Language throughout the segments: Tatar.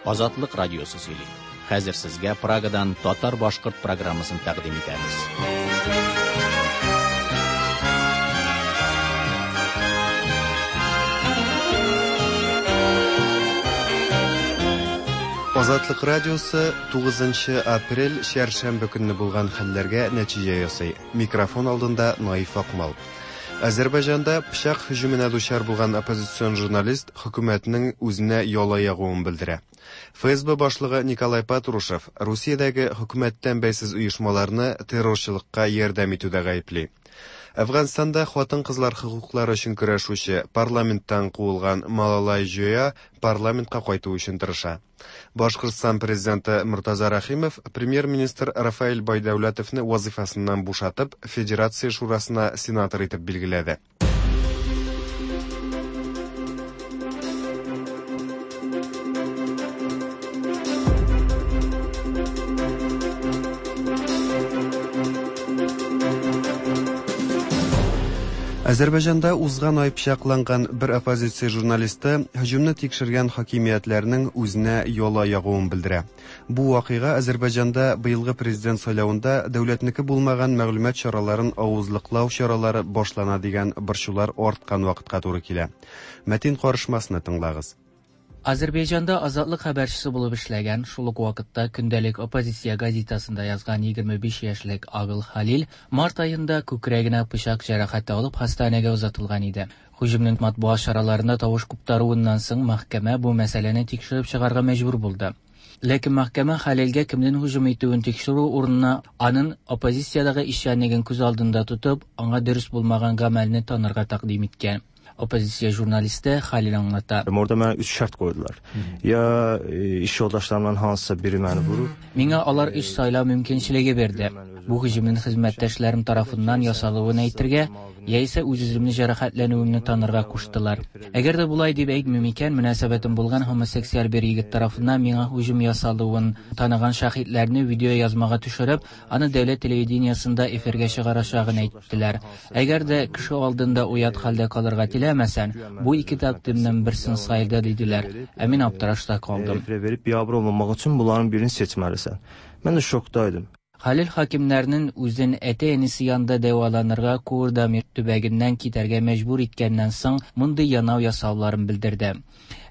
Азатлык радиосы сөйли. Хәзер сезгә Прагадан татар-башкорт программасын тәкъдим итәбез. Азатлык радиосы 9 апрель чәршәмбе көнне булган хәлләргә нәтиҗә ясый. Микрофон алдында Наиф Акмал. Азәрбайҗанда пычак һөҗүменә дучар булган оппозицион журналист хөкүмәтнең үзенә яла ягуын белдерә. ФСБ башлыгы Николай Патрушев Русиядәге хөкүмәттән бәйсез оешмаларны террорчылыкка ярдәм итүдә гаепли. Әфганстанда хатын-кызлар хокуклары өчен көрәшүче, парламенттан куылган Малалай Җоя парламентка кайту өчен тырыша. Башкортстан президенты Мортаза Рәхимов премьер-министр Рафаэль Байдәүләтовны вазыйфасыннан бушатып, Федерация шурасына сенатор итеп билгеләде. Азәрбайҗанда узган ай пычакланган бер оппозиция журналисты һөҗүмне тикшергән хакимиятләрнең үзенә яла ягуын белдерә. Бу вакыйга Азәрбайҗанда быелгы президент сайлавында дәүләтнеке булмаган мәгълүмат чараларын авызлыклау чаралары башлана дигән борчулар арткан вакытка туры килә. Мәтин карышмасны тыңлагыз. Азәрбайҗанда Азатлык хәбәрчесе булып эшләгән, шул ук вакытта көндәлек оппозиция газетасында язган 25 яшьлек Агыл Халил март аенда күкрәгенә пычак җәрәхәте алып хастаханәгә озатылган иде. Һөҗүмнең матбугат чараларында тавыш куптаруыннан соң мәхкәмә бу мәсьәләне тикшереп чыгарга мәҗбүр булды. Ләкин мәхкәмә Халилгә кемнең һөҗүм итүен тикшерү урынына аның оппозициядәге эшчәнлеген күз алдында тотып, аңа дөрес булмаган гамәлне танырга тәкъдим иткән. Оппозиция журналисты Халил аңлата. Orada mənə üç şərt qoydular. Ya iş yoldaşlarımdan hansısa biri məni vurur. Миңа алар өч сайлау мөмкинчелеге бирде. Бу һөҗүмнең хезмәттәшләрем тарафыннан ясалуын әйтергә, яисә үз-үземне җәрәхәтләнүемне танырга куштылар. Әгәр дә болай дип әйтмим икән, мөнәсәбәтем булган homosексуаль бер егет тарафыннан миңа һөҗүм ясалуын таныган шаһитләрне видео язмага төшереп, аны дәүләт телевидениесендә эфиргә чыгарачагын әйттеләр. Әгәр дә кеше алдында оят хәлдә калырга теләмәсәң, бу ике тәкъдимнең берсен сайла диделәр. Ә мин аптырашта калдым. Efirə verib biabır olmamaq üçün bunların birini seçməlisən. Mən də şokdaydım. Халил хакимнәрнең үзен әти-әнисе янында дәваланырга Курдамир төбәгеннән китәргә мәҗбүр иткәннән соң мондый янау ясауларын белдерде.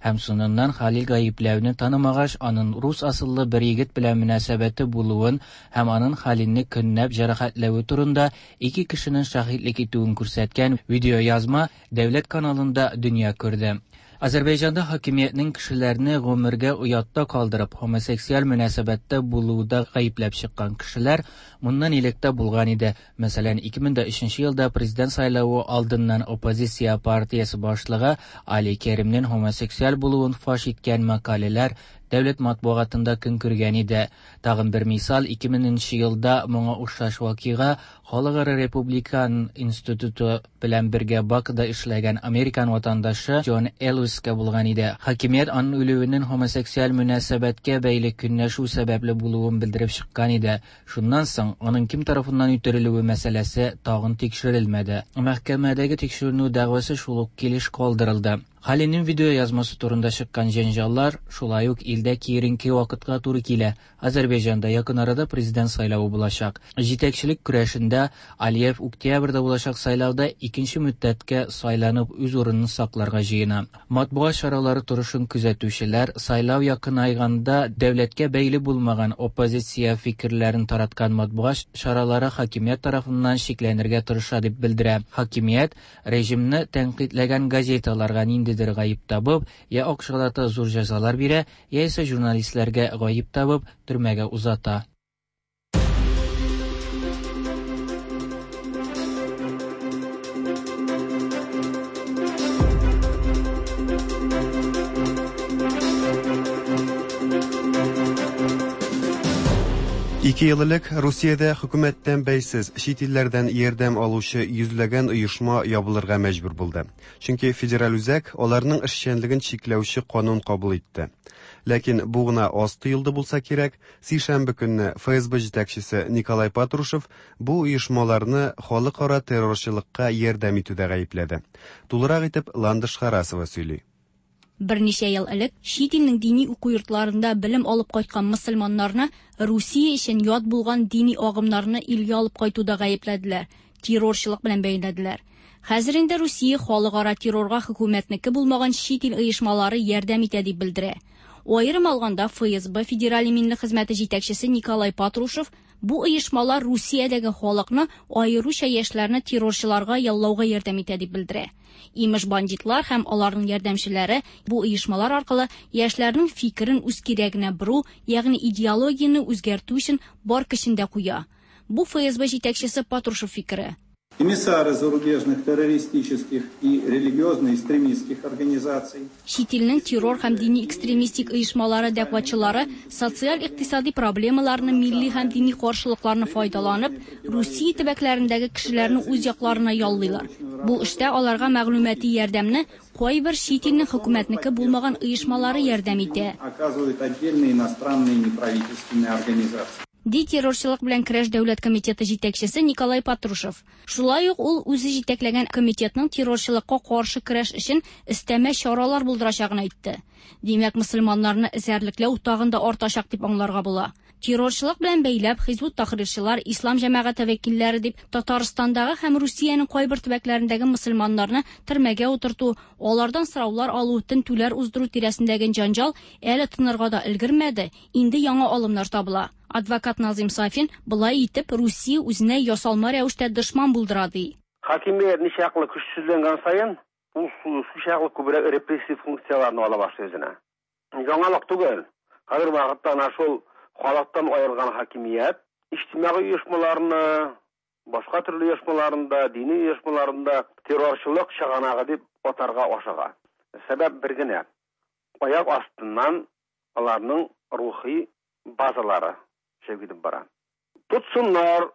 Һәм соңыннан Халил гаепләүне танымагач, аның рус асыллы бер егет белән мөнәсәбәте булуын һәм аның Халилне көнләп җәрәхәтләве турында ике кешенең шаһитлек итүен күрсәткән видеоязма дәүләт каналында дөнья күрде. Азәрбайҗанда хакимиятнең кешеләрне гомергә оятта калдырып, homosексуаль мөнәсәбәттә булуда гаепләп чыккан кешеләр моннан элек тә булган иде. Мәсәлән, 2003 елда президент сайлавы алдыннан оппозиция партиясе башлыгы Али Керимнең homosексуаль булуын фаш иткән мәкаләләр дәүләт матбугатында көн күргән иде. Тагын бер мисал, 2000 елда моңа охшаш вакыйга Халыкара Републикан институты белән бергә Бакуда эшләгән американ ватандашы Джон Элвискә булган иде. Хакимият аның үлүенең homosексуаль мөнәсәбәткә бәйле көнләшү сәбәпле булуын белдереп чыккан иде. Шуннан соң аның кем тарафыннан үтерелүе мәсьәләсе тагын тикшерелмәде. Мәхкәмәдәге тикшеренү дәгъвасы шул ук килеш калдырылды. Халилнең видео язмасы турында чыккан җәнҗаллар шулай ук илдә киеренке вакытка туры килә. Азәрбайҗанда якын арада президент сайлавы булачак. Җитәкчелек көрәшендә Алиев октябрьдә булачак сайлауда икенче мөддәткә сайланып үз урынын сакларга җыена. Матбугат чаралары торышын күзәтүчеләр сайлау якынайганда дәүләткә бәйле булмаган оппозиция фикерләрен тараткан матбугат чаралары хакимият тарафыннан чикләнергә тырыша дип белдерә. Хакимият режимны тәнкыйтьләгән газеталарга ниндидер гаеп табып, я акчалата зур җәзалар бирә, яисә журналистларга гаеп табып, төрмәгә узата. Ике ел элек Русиядә хөкүмәттән бәйсез чит илләрдән ярдәм алучы йөзләгән оешма ябылырга мәҗбүр булды. Чөнки федераль үзәк аларның эшчәнлеген чикләүче канун кабул итте. Ләкин бу гына аз тоелды булса кирәк, сишәмбе көнне ФСБ җитәкчесе Николай Патрушев бу оешмаларны халыкара террорчылыкка ярдәм итүдә гаепләде. Тулырак итеп Ландыш Харасова сөйли. Берничә ел элек чит илнең дини уку йортларында белем алып кайткан мөселманнарны Русия өчен ят булган дини агымнарны илгә алып кайтуда гаепләделәр, террорчылык белән бәйләделәр. Хәзер инде Русия халыкара террорга хөкүмәтнеке булмаган чит ил оешмалары ярдәм итә дип белдерә. Аерым алганда ФСБ Федераль иминлек хезмәте җитәкчесе Николай Патрушев бу оешмалар Русиядәге халыкны, аеруча яшьләрне террорчыларга яллауга ярдәм итә дип белдерә. Имеш бандитлар һәм аларның ярдәмчеләре бу оешмалар аркылы яшьләрнең фикерен үз кирәгенә бору, ягъни идеологияне үзгәртү өчен бар көчен дә куя. Бу ФСБ җитәкчесе Патрушев фикере. Эмиссары зарубежных террористических и религиозно-экстремистских организаций. Чит илнең террор һәм дини экстремистик оешмалары дәгъватчылары социаль-икътисади проблемаларны, милли һәм дини каршылыкларны файдаланып, Русия төбәкләрендәге кешеләрне үз якларына яллыйлар. Бу эштә аларга мәгълүмати ярдәмне кайбер чит илнең хөкүмәтнеке булмаган оешмалары ярдәм итә. Оказывают отдельные иностранные неправительственные организации. Ди террорчылык белән көрәш дәүләт комитеты җитәкчесе Николай Патрушев. Шулай ук ул үзе җитәкләгән комитетның террорчылыкка каршы көрәш өчен өстәмә чаралар булдырачагын әйтте. Димәк, мөселманнарны эзәрлекләү тагын да артачак дип аңларга була. Террорчылык белән бәйләп Хизбут Тахрирчылар, Ислам җәмәгате вәкилләре дип Татарстандагы һәм Русиянең кайбер төбәкләрендәге мөселманнарны төрмәгә утырту, алардан сораулар алу, тентүләр уздыру тирәсендәге җанҗал әле тынырга да өлгермәде, инде яңа алымнар табыла. Адвокат Назым Сафин болай итеп Русия үзенә ясалма рәвештә дошман булдыра ди. Хакимият ничаклы көчсезләнгән саен, ул шулчаклы күбрәк репрессив функцияләрне ала башлый үзенә. Яңалык түгел. Хәзер вакытта әнә шул халыктан аерылган хакимият иҗтимагый оешмаларны, башка төрле оешмаларында, дини оешмаларында террорчылык чыганагы дип атарга ашыга. Сәбәп бер генә. Аяк астыннан аларның рухи базалары төшеп китеп бара. Тотсыннар,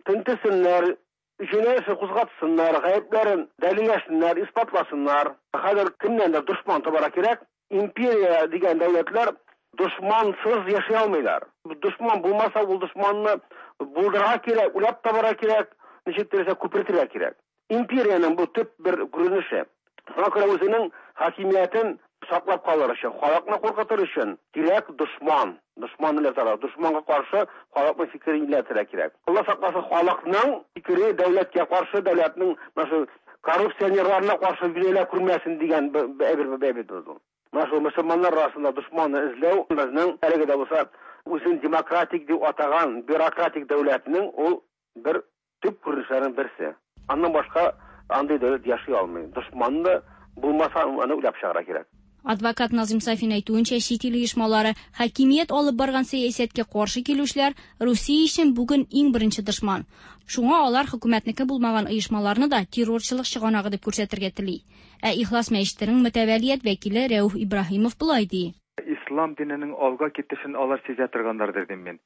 тентесеннәр, җинаять эше кузгатсыннар, гаепләрен дәлилләсеннәр, исбатласыннар. Хәзер кемнәндер дошман табарга кирәк. Империя дигән дәүләтләр дошмансыз яши алмыйлар. Дошман булмаса, ул дошманны булдырырга кирәк, уйлап табарга кирәк, ничек теләсә күпертергә кирәк. Империянең бу төп бер күренеше. Шуңа күрә үзенең хакимиятен саклап калыр өчен, халыкны куркытыр өчен кирәк дошман. Дошман иләтергә, дошманга каршы халыкның фикерен иләтергә кирәк. Алла сакласын, халыкның фикере дәүләткә каршы, дәүләтнең менә шул коррупционерларына каршы юнәлә күрмәсен дигән әйбер әйбер булды. Менә шул мөселманнар арасында дошманны эзләү безнең әлеге дә булса үзен демократик дип атаган бюрократик дәүләтнең ул бер төп күренешләренең берсе. Аннан башка андый дәүләт яши алмый. Дошманны булмаса, аны уйлап чыгарырга кирәк. Адвокат Назым Сафин әйтүенчә, чит ил оешмалары хакимият алып барган сәясәткә каршы килүчеләр Русия өчен бүген иң беренче дошман. Шуңа алар хөкүмәтнеке булмаган оешмаларны да террорчылык чыганагы дип күрсәтергә тели. Ә Ихлас мәчетенең мөтәвәлият вәкиле Рәүф Ибраһимов болай ди. Ислам диненең алга китешен алар сизә торганнардыр дим мин.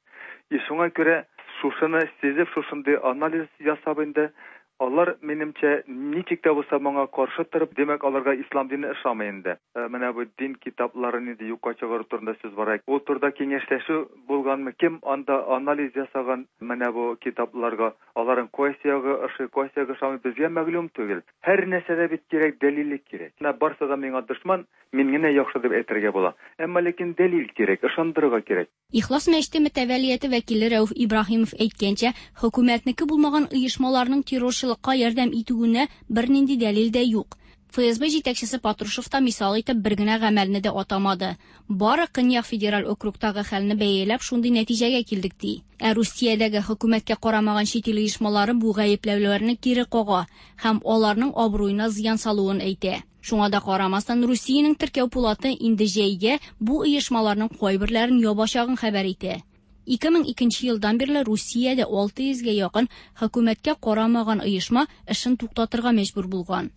И шуңа күрә шушыны сизеп, шушындый анализ ясап инде, алар минемчә ничек тә булса моңа каршы торып, димәк, аларга ислам дине ошамый инде. Менә бу дин китапларын инде юкка чыгару турында сүз бара. Ул турыда киңәшләшү булганмы? Кем анда анализ ясаган менә бу китапларга? Аларның кайсы ягы ошый, кайсы ягы ошамый, безгә мәгълүм түгел. Һәр нәрсәдә бит кирәк, дәлиллек кирәк. Менә барсы да миңа дошман, мин генә яхшы дип әйтергә була. Әмма ләкин дәлил кирәк, ышандырырга кирәк. Ихлас мәчете мөтәвәлияте вәкиле Рәүф Ибраһимов әйткәнчә, хөкүмәтнеке булмаган оешмаларның террорчылыкка ярдәм итүенә бернинди дәлил дә юк. ФСБ җитәкчесе Патрушев та мисал итеп бер генә гамәлне дә атамады. Бары Көньяк федераль округтагы хәлне бәяләп шундый нәтиҗәгә килдек ди. Ә Русиядәге хөкүмәткә карамаган чит ил оешмалары бу гаепләүләрне кире кага һәм аларның абруена зыян салуын әйтә. Шуңа да карамастан, Русиянең теркәү пулаты инде җәйгә бу оешмаларның кайберләрен ябачагын хәбәр итә. 2002 елдан бирле Русиядә 600гә якын хөкүмәткә карамаган оешма эшен туктатырга мәҗбүр булган.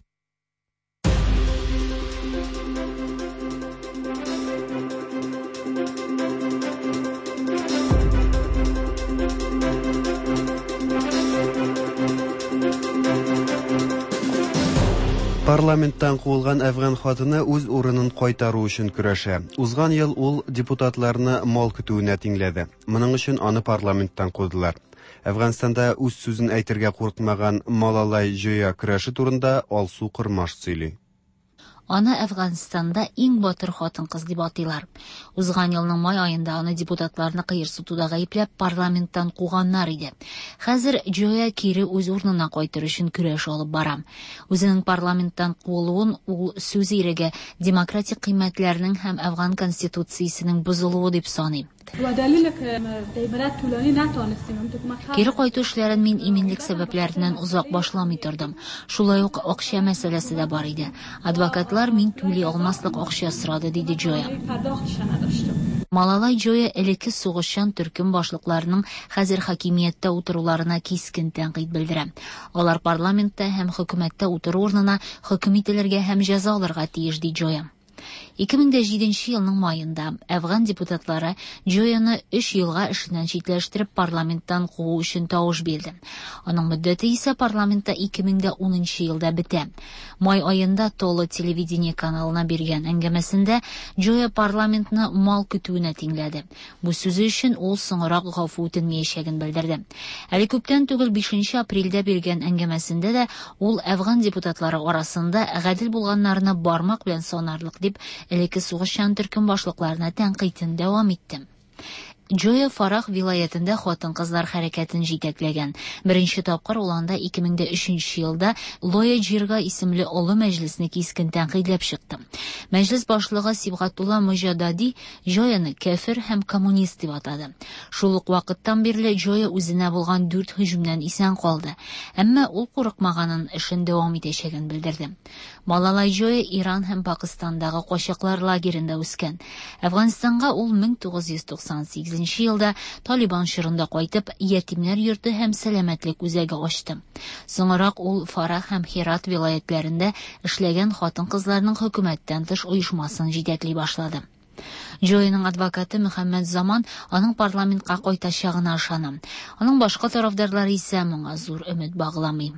Парламенттан куылган әфган хатыны үз урынын кайтару өчен көрәшә. Узган ел ул депутатларны мал көтүенә тиңләде. Моның өчен аны парламенттан кудылар. Әфганстанда үз сүзен әйтергә курыкмаган Малалай Җоя көрәше турында Алсу Кормаш сөйли. Аны Әфганстанда иң батыр хатын-кыз дип атыйлар. Узган елның май аенда аны депутатларны кыерсытуда гаепләп парламенттан куганнар иде. Хәзер Джоя кире үз урынына кайтыр өчен көрәш алып бара. Үзенең парламенттан куылуын ул сүз иреге, демократик кыйммәтләрнең һәм Әфган конституциясенең бозылуы дип саный. Кире кайту эшләрен мин иминлек сәбәпләреннән озак башламый тордым. Шулай ук акча мәсьәләсе дә бар иде. Адвокатлар мин түли алмаслык акча сорады, диде Джоя. Малалай Джоя элекке сугышчан төркем башлыкларының хәзер хакимияттә утыруларына кискен тәнкыйть белдерә. Алар парламентта һәм хөкүмәттә утыру урынына хөкем ителергә һәм җәза алырга тиеш, ди Джоя. 2007 елның маенда Әфган депутатлары Джояны 3 елга эшеннән читләштереп парламенттан куу өчен тавыш бирде. Аның мөддәте исә парламентта 2010 елда бетә. Май аенда Толо телевидение каналына биргән әңгәмәсендә Джоя парламентны мал көтүенә тиңләде. Бу сүзе өчен ул соңрак гафу үтенмәячәген белдерде. Әле күптән түгел 5 апрельдә биргән әңгәмәсендә дә ул Әфган депутатлары арасында гадел булганнарны бармак белән санарлык дип элекке сугышчан төркем башлыкларына тәнкыйтен дәвам итте. Джоя Фарах вилаятендә хатын-кызлар хәрәкәтен җитәкләгән. Беренче тапкыр ул анда 2003 елда Лоя Джирга исемле олы мәҗлесне кискен тәнкыйтьләп чыкты. Мәҗлес башлыгы Сибгатулла Мөҗадади Джояны кәфер һәм коммунист дип атады. Шул ук вакыттан бирле Джоя үзенә булган 4 һөҗүмнән исән калды. Әмма ул курыкмаганын, эшен дәвам итәчәген белдерде. Малалай Джоя Иран һәм Пакистандагы качаклар лагерендә үскән. Әфганстанга ул 1998 елда Талибан чорында кайтып, ятимнәр йорты һәм сәламәтлек үзәге ачты. Соңрак ул Фарах һәм Херат вилаятләрендә эшләгән хатын-кызларның хөкүмәттән тыш оешмасын җитәкли башлады. Джояның адвокаты Мөхәммәд Заман аның парламентка кайтачагына ышана. Аның башка тарафдарлары исә моңа зур өмет багламый.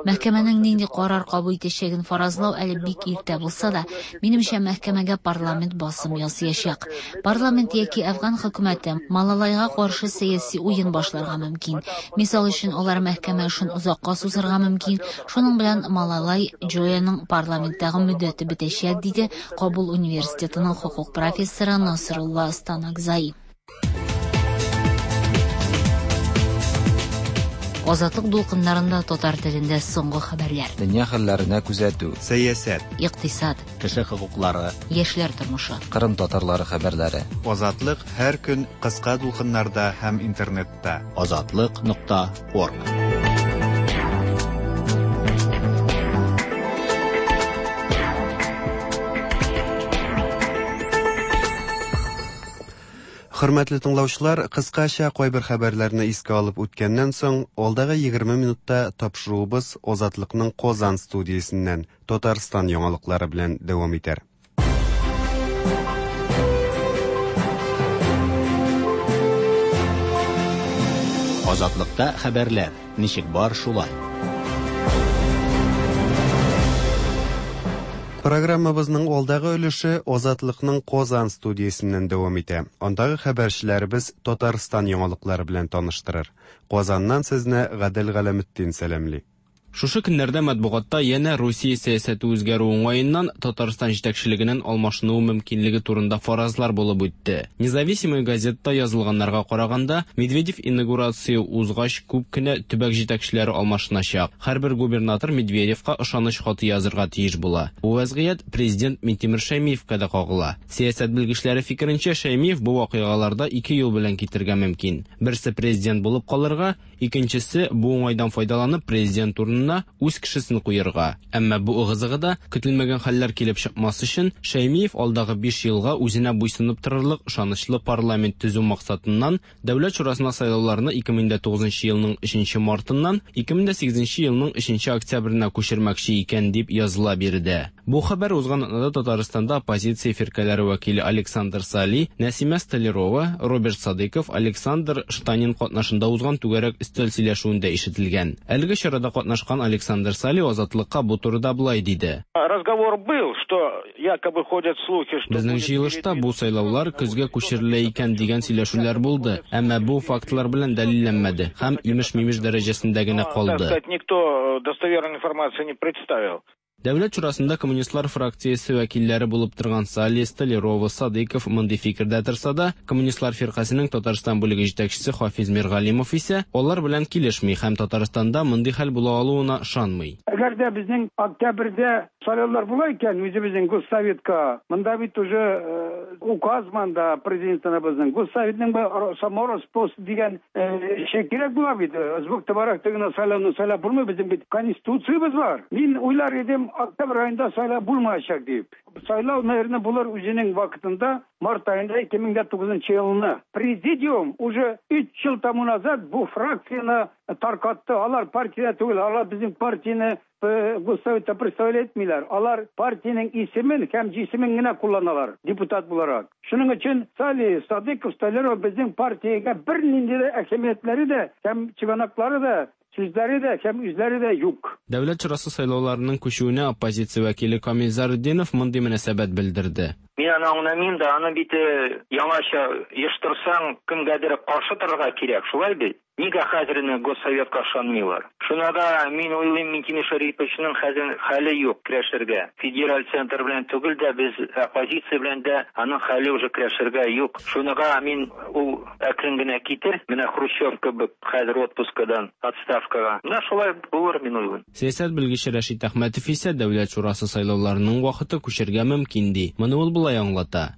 Мәхкәмәнең нинди карар кабул итәчәген фаразлау әле бик иртә булса да, минемчә, мәхкәмәгә парламент басым ясаячак. Парламент яки Әфган хөкүмәте Малалайга каршы сәяси уен башларга мөмкин. Мисал өчен, алар мәхкәмә эшен озакка сузырга мөмкин. Шуның белән Малалай Джояның парламенттагы мөддәте бетәчәк, диде Кабул университетының хокук профессоры Насрулла Станакзай. Азатлык дулкыннарында татар телендә соңгы хәбәрләр. Дөнья хәлләренә күзәтү. Сәясәт. Икътисад. Кеше хокуклары. Яшьләр тормышы. Кырым татарлары хәбәрләре. Азатлык һәр көн кыска дулкыннарда һәм интернетта. Азатлык.орг. Хөрмәтле тыңлаучылар, кыскача кайбер хәбәрләрне искә алып үткәннән соң, алдагы 20 минутта тапшыруыбыз Азатлыкның Казан студиясеннән Татарстан яңалыклары белән дәвам итәр. Азатлыкта хәбәрләр ничек бар шулай. Программабызның алдагы өлеше Азатлыкның Казан студиясеннән дәвам итә. Андагы хәбәрчеләребез Татарстан яңалыклары белән таныштырыр. Казаннан сезне Гадел Галәметдин сәламли. Шушы көннәрдә матбугатта янә Русия сәясәте үзгәрү уңаеннан Татарстан җитәкчелегенең алмашынуы мөмкинлеге турында фаразлар булып үтте. Независимая газетта язылганнарга караганда, Медведев инаугурация узгач күп кенә төбәк җитәкчеләре алмашыначак. Һәрбер губернатор Медведевка ышаныч хаты язырга тиеш була. Бу вазгыять президент Минтимер Шәймиевка да кагыла. Сәясәт белгечләре фикеренчә, Шәймиев бу вакыйгаларда ике юл белән китергә мөмкин. Берсе президент булып калырга, икенчесе бу уңайдан файдаланып президент урынына үз кешесен куярга. Әмма бу ыгы-зыгыда көтелмәгән хәлләр килеп чыкмас өчен Шәймиев алдагы 5 елга үзенә буйсынып торырлык ышанычлы парламент төзү максатыннан Дәүләт шурасына сайлауларны 2009 елның 3 мартыннан 2008 елның 3 октябренә күчермәкче икән дип языла биредә. Бу хәбәр узган атнада Татарстанда оппозиция фиркаләре вәкиле Александр Сали, Нәсимә Столярова, Роберт Садыйков, Александр Штанин катнашында узган түгәрәк өстәл сөйләшүендә ишетелгән. Әлеге чарада катнашкан Александр Сали Азатлыкка бу турыда болай диде. Разговор был, что якобы ходят слухи, что Безнең җыелышта бу сайлаулар көзгә күчерелә икән дигән сөйләшүләр булды, әмма бу фактлар белән дәлилләнмәде һәм имеш-мимеш дәрәҗәсендә генә так калды. сказать, никто достоверной информации не представил. Дәүләт шурасында коммунистлар фракциясе вәкилләре булып торган Сали, Столярова, Садыйков мондый фикердә торса да, коммунистлар фиркасының Татарстан бүлеге җитәкчесе Хафиз Миргалимов исә алар белән килешми һәм Татарстанда мондый хәл була алуына ышанмый. Әгәр дә безнең октябрьдә сайлаулар була икән, үзебезнең Госсоветка, монда бит уже указ манда президентыбызның Госсоветның самороспост дигән эше кирәк була бит. Звук товарах гына сайлауны сайлап булмый, безнең бит конституциябез бар. Мин уйлар идем, октябрь айында сайлау булмаячак дип. Сайлау, наверное, булыр үзенең вакытында, март аенда 2009 елны. Президиум уже 3 ел тому назад бу фракцияне таркатты. Алар партия түгел, алар безнең партияне Госсоветта представлять итмиләр. Алар партиянең исемен һәм җисемен генә кулланалар депутат буларак. Шуның өчен Сали, Садыков, Столяров безнең партиягә бернинди дә әһәмиятләре дә һәм чыганаклары да, сүзләре дә һәм үзләре дә юк. Дәүләт шурасы сайлауларының күчүенә оппозиция вәкиле Камил Зарудинов мондый мөнәсәбәт белдерде. Мин аны аңламыйм да, аны бит яңача оештырсаң, кемгәдер каршы торырга кирәк, шулай бит? Нигә хәзер Госсоветка ышанмыйлар? Шуна да мин уйлыйм, Минтимер Шәриповичның хәзер хәле юк көрәшергә. Федераль центр белән түгел дә, без оппозиция белән дә аның хәле уже көрәшергә юк. Шунага мин ул әкрен генә китер, менә Хрущев кебек хәзер отпускадан отставкага. Менә шулай булыр мин уйлыйм. Сәясәт белгече Рәшит Әхмәтов исә Дәүләт шурасы сайлауларының вакыты күчергә мөмкин ди. Моны ул болай аңлата.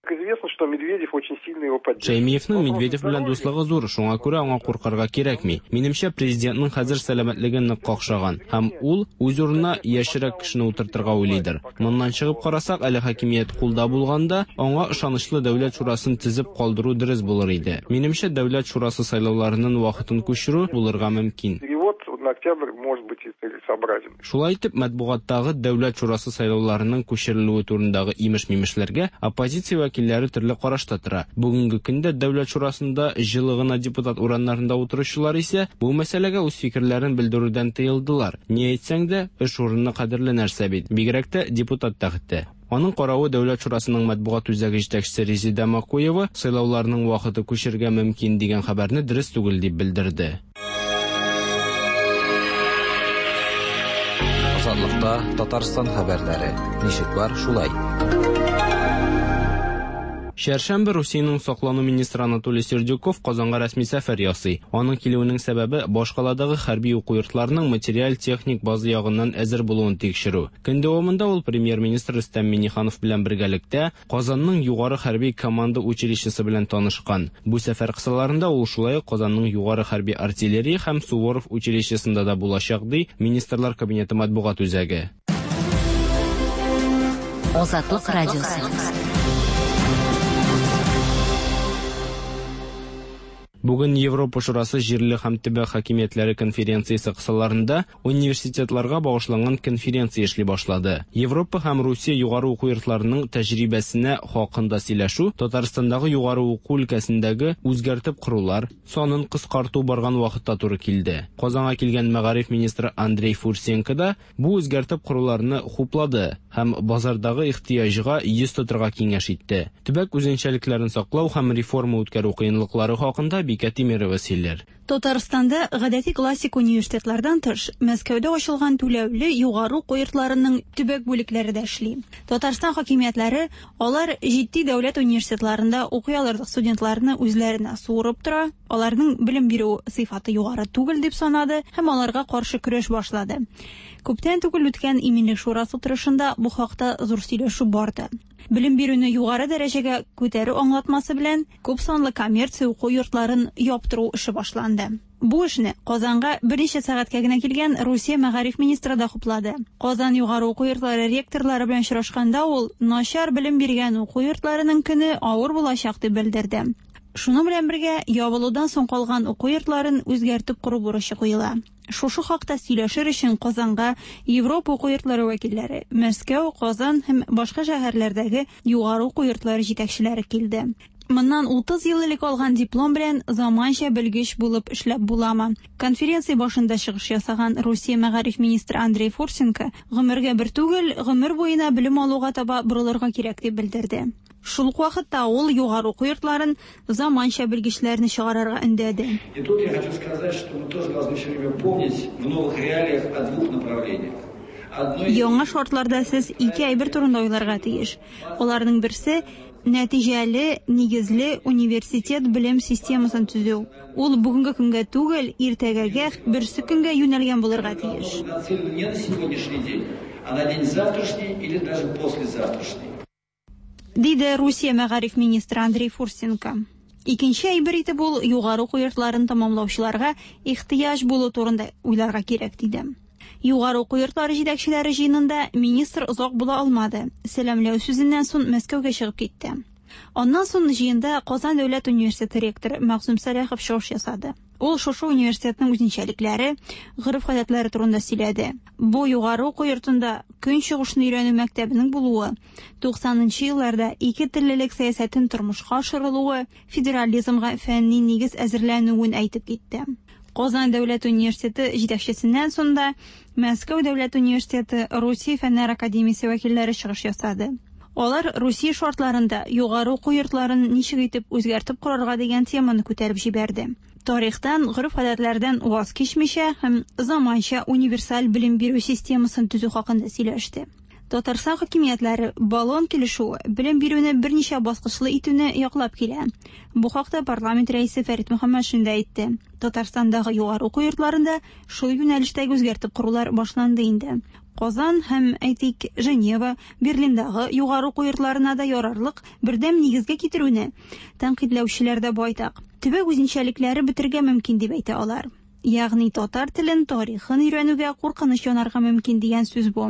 Известно, что Медведев очень сильно его поддерживает. Шәймиевнең Медведев белән дуслыгы зур, шуңа күрә аңа куркырга кирәкми. Минемчә, президентның хәзер сәламәтлеге нык какшаган һәм ул үз урынына яшьрәк кешене утыртырга уйлыйдыр. Моннан чыгып карасак, әле хакимият кулда булганда, аңа ышанычлы Дәүләт шурасын төзеп калдыру дөрес булыр иде. Минемчә, Дәүләт шурасы сайлауларының вакытын күчерү булырга мөмкин. Перевод на октябрь может быть и целесообразен. Шулай итеп, матбугаттагы Дәүләт шурасы сайлауларының күчерелүе турындагы имеш-мимешләргә оппозиция вәкилләре төрле карашта тора. Бүгенге көндә Дәүләт шурасында җылы гына депутат урыннарында утыручылар исә бу мәсьәләгә үз фикерләрен белдерүдән тыелдылар. Ни әйтсәң дә, эш урыны кадерле нәрсә бит, бигрәк тә депутат тәхете. Аның каравы Дәүләт шурасының матбугат үзәге җитәкчесе Резеда Макуева сайлауларның вакыты күчергә мөмкин дигән хәбәрне дөрес түгел дип белдерде. Азатлыкта Татарстан хәбәрләре. Ничек бар, шулай. Чәршәмбе Русиянең саклану министры Анатолий Сердюков Казанга рәсми сәфәр ясый. Аның килүенең сәбәбе башкаладагы хәрби уку йортларының материаль-техник база ягыннан әзер булуын тикшерү. Көн дәвамында ул премьер-министр Рөстәм Миңнеханов белән бергәлектә Казанның югары хәрби команда училищесы белән танышкан. Бу сәфәр кысаларында ул шулай ук Казанның югары хәрби артиллерия һәм Суворов училищесында да булачак, ди Министрлар Кабинеты матбугат үзәге. Азатлык радиосы. Бүген Европа Шурасы җирле һәм төбәк хакимиятләре конференциясе кысаларында университетларга багышланган конференция эшли башлады. Европа һәм Русия югары уку йортларының тәҗрибәсенә хакында сөйләшү Татарстандагы югары уку өлкәсендәге үзгәртеп корулар санын кыскарту барган вакытта туры килде. Казанга килгән мәгариф министры Андрей Фурсенко да бу үзгәртеп коруларны хуплады һәм базардагы ихтыяҗга йөз тотырга киңәш итте. Төбәк үзенчәлекләрен саклау һәм реформа үткәрү кыенлыклары хакында Бикә Тимирова сөйләр. Татарстанда гадәти классик университетлардан тыш, Мәскәүдә ачылган түләүле югары уку йортларының төбәк бүлекләре дә эшли. Татарстан хакимиятләре алар җитди дәүләт университетларында укый алырлык студентларны үзләренә суырып тора, аларның белем бирү сыйфаты югары түгел дип санады һәм аларга каршы көрәш башлады. Күптән түгел үткән Иминлек шурасы утырышында бу хакта зур сөйләшү барды. Белем бирүне югары дәрәҗәгә күтәрү аңлатмасы белән күп санлы коммерция уку йортларын яптыру эше башланды. Бу эшне Казанга берничә сәгатькә генә килгән Русия мәгариф министры да хуплады. Казан югары уку йортлары ректорлары белән очрашканда ул начар белем биргән уку йортларының көне авыр булачак дип белдерде. Шуның белән бергә ябылудан соң калган уку йортларын үзгәртеп кору бурычы куела. Шушы хакта сөйләшер өчен Казанга Европа уку йортлары вәкилләре, Мәскәү, Казан һәм башка шәһәрләрдәге югары уку йортлары җитәкчеләре килде. Моннан 30 ел элек алган диплом белән заманча белгеч булып эшләп буламы? Конференция башында чыгыш ясаган Русия мәгариф министры Андрей Фурсенко гомергә бер түгел, гомер буена белем алуга таба борылырга кирәк дип белдерде. Шул ук вакытта ул югары уку йортларын заманча белгечләрне чыгарырга өндәде. И тут я хочу сказать, что мы тоже должны все время помнить в новых реалиях о двух направлениях. Яңа шартларда сез ике әйбер турында уйларга тиеш. Аларның берсе нәтиҗәле, нигезле университет белем системасын төзү. Ул бүгенге көнгә түгел, иртәгәгә, берсе көнгә юнәлгән булырга тиеш. Нацелена не на сегодняшний день, а на день завтрашний или даже послезавтрашний. Диде Русия мәгариф министры Андрей Фурсенко. Икенче әйбер итеп ул югары уку йортларын тәмамлаучыларга ихтыяҗ булу турында уйларга кирәк диде. Югары уку йортлары җитәкчеләре җыенында министр озак була алмады. Сәламләү сүзеннән соң Мәскәүгә чыгып китте. Аннан соң җыенда Казан дәүләт университеты ректоры Мәгъсүм Сәлахов чыгыш ясады. Ул шушы университетның үзенчәлекләре, гореф-гадәтләре турында сөйләде. Бу югары уку йортында Көнчыгышны өйрәнү мәктәбенең булуы, 90 нчы елларда ике теллелек сәясәтен тормышка ашырылуы федерализмга фәнни нигез әзерләнүен әйтеп китте. Казан дәүләт университеты җитәкчесеннән соң да Мәскәү дәүләт университеты, Русия фәннәр академиясе вәкилләре чыгыш ясады. Алар Русия шартларында югары уку йортларын ничек итеп үзгәртеп корырга дигән теманы күтәреп җибәрде. Тарихтан, гореф-гадәтләрдән ваз кичмичә һәм заманча универсаль белем бирү системасын төзү хакында сөйләште. Татарстан хакимиятләре Болон килешүе белем бирүне берничә баскычлы итүне яклап килә. Бу хакта парламент рәисе Фәрит Мөхәммәтшин дә әйтте. Татарстандагы югары уку йортларында шул юнәлештәге үзгәртеп корулар башланды инде. Казан һәм, әйтик, Женева, Берлиндагы югары уку йортларына да ярарлык бердәм нигезгә китерүне тәнкыйтьләүчеләр дә байтак. Төбәк үзенчәлекләре бетергә мөмкин дип әйтә алар. Ягъни татар телен, тарихын өйрәнүгә куркыныч янарга мөмкин дигән сүз бу.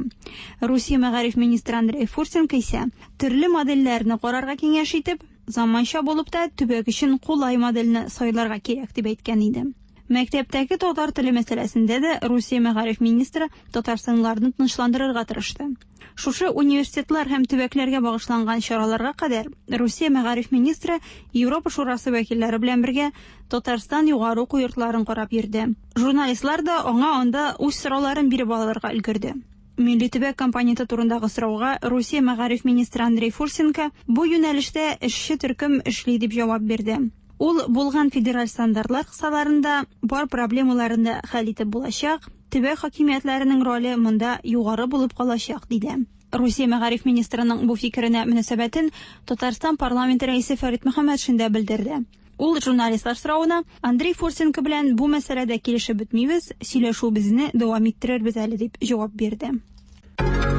Русия мәгариф министры Андрей Фурсенко исә төрле модельләрне карарга киңәш итеп, заманча булып та төбәк өчен кулай модельне сайларга кирәк дип әйткән иде. Мәктәптәге татар теле мәсьәләсендә дә Русия мәгариф министры татарстанлыларны тынычландырырга тырышты. Шушы университетлар һәм төбәкләргә багышланган чараларга кадәр Русия мәгариф министры Европа Шурасы вәкилләре белән бергә Татарстан югары уку йортларын карап йөрде. Журналистлар да аңа анда үз сорауларын биреп алырга өлгерде. Милли төбәк компоненты турындагы сорауга Русия мәгариф министры Андрей Фурсенко бу юнәлештә эшче төркем эшли дип җавап бирде. Ул булган федераль стандартлар кысаларында бар проблемаларын да хәл итеп булачак, төбәк хакимиятләренең роле монда югары булып калачак, диде. Русия мәгариф министрының бу фикеренә мөнәсәбәтен Татарстан парламенты рәисе Фәрит Мөхәммәтшин дә белдерде. Ул журналистлар соравына Андрей Фурсенко белән бу мәсьәләдә килешеп бетмибез, сөйләшүебезне дәвам иттерербез әле дип җавап бирде.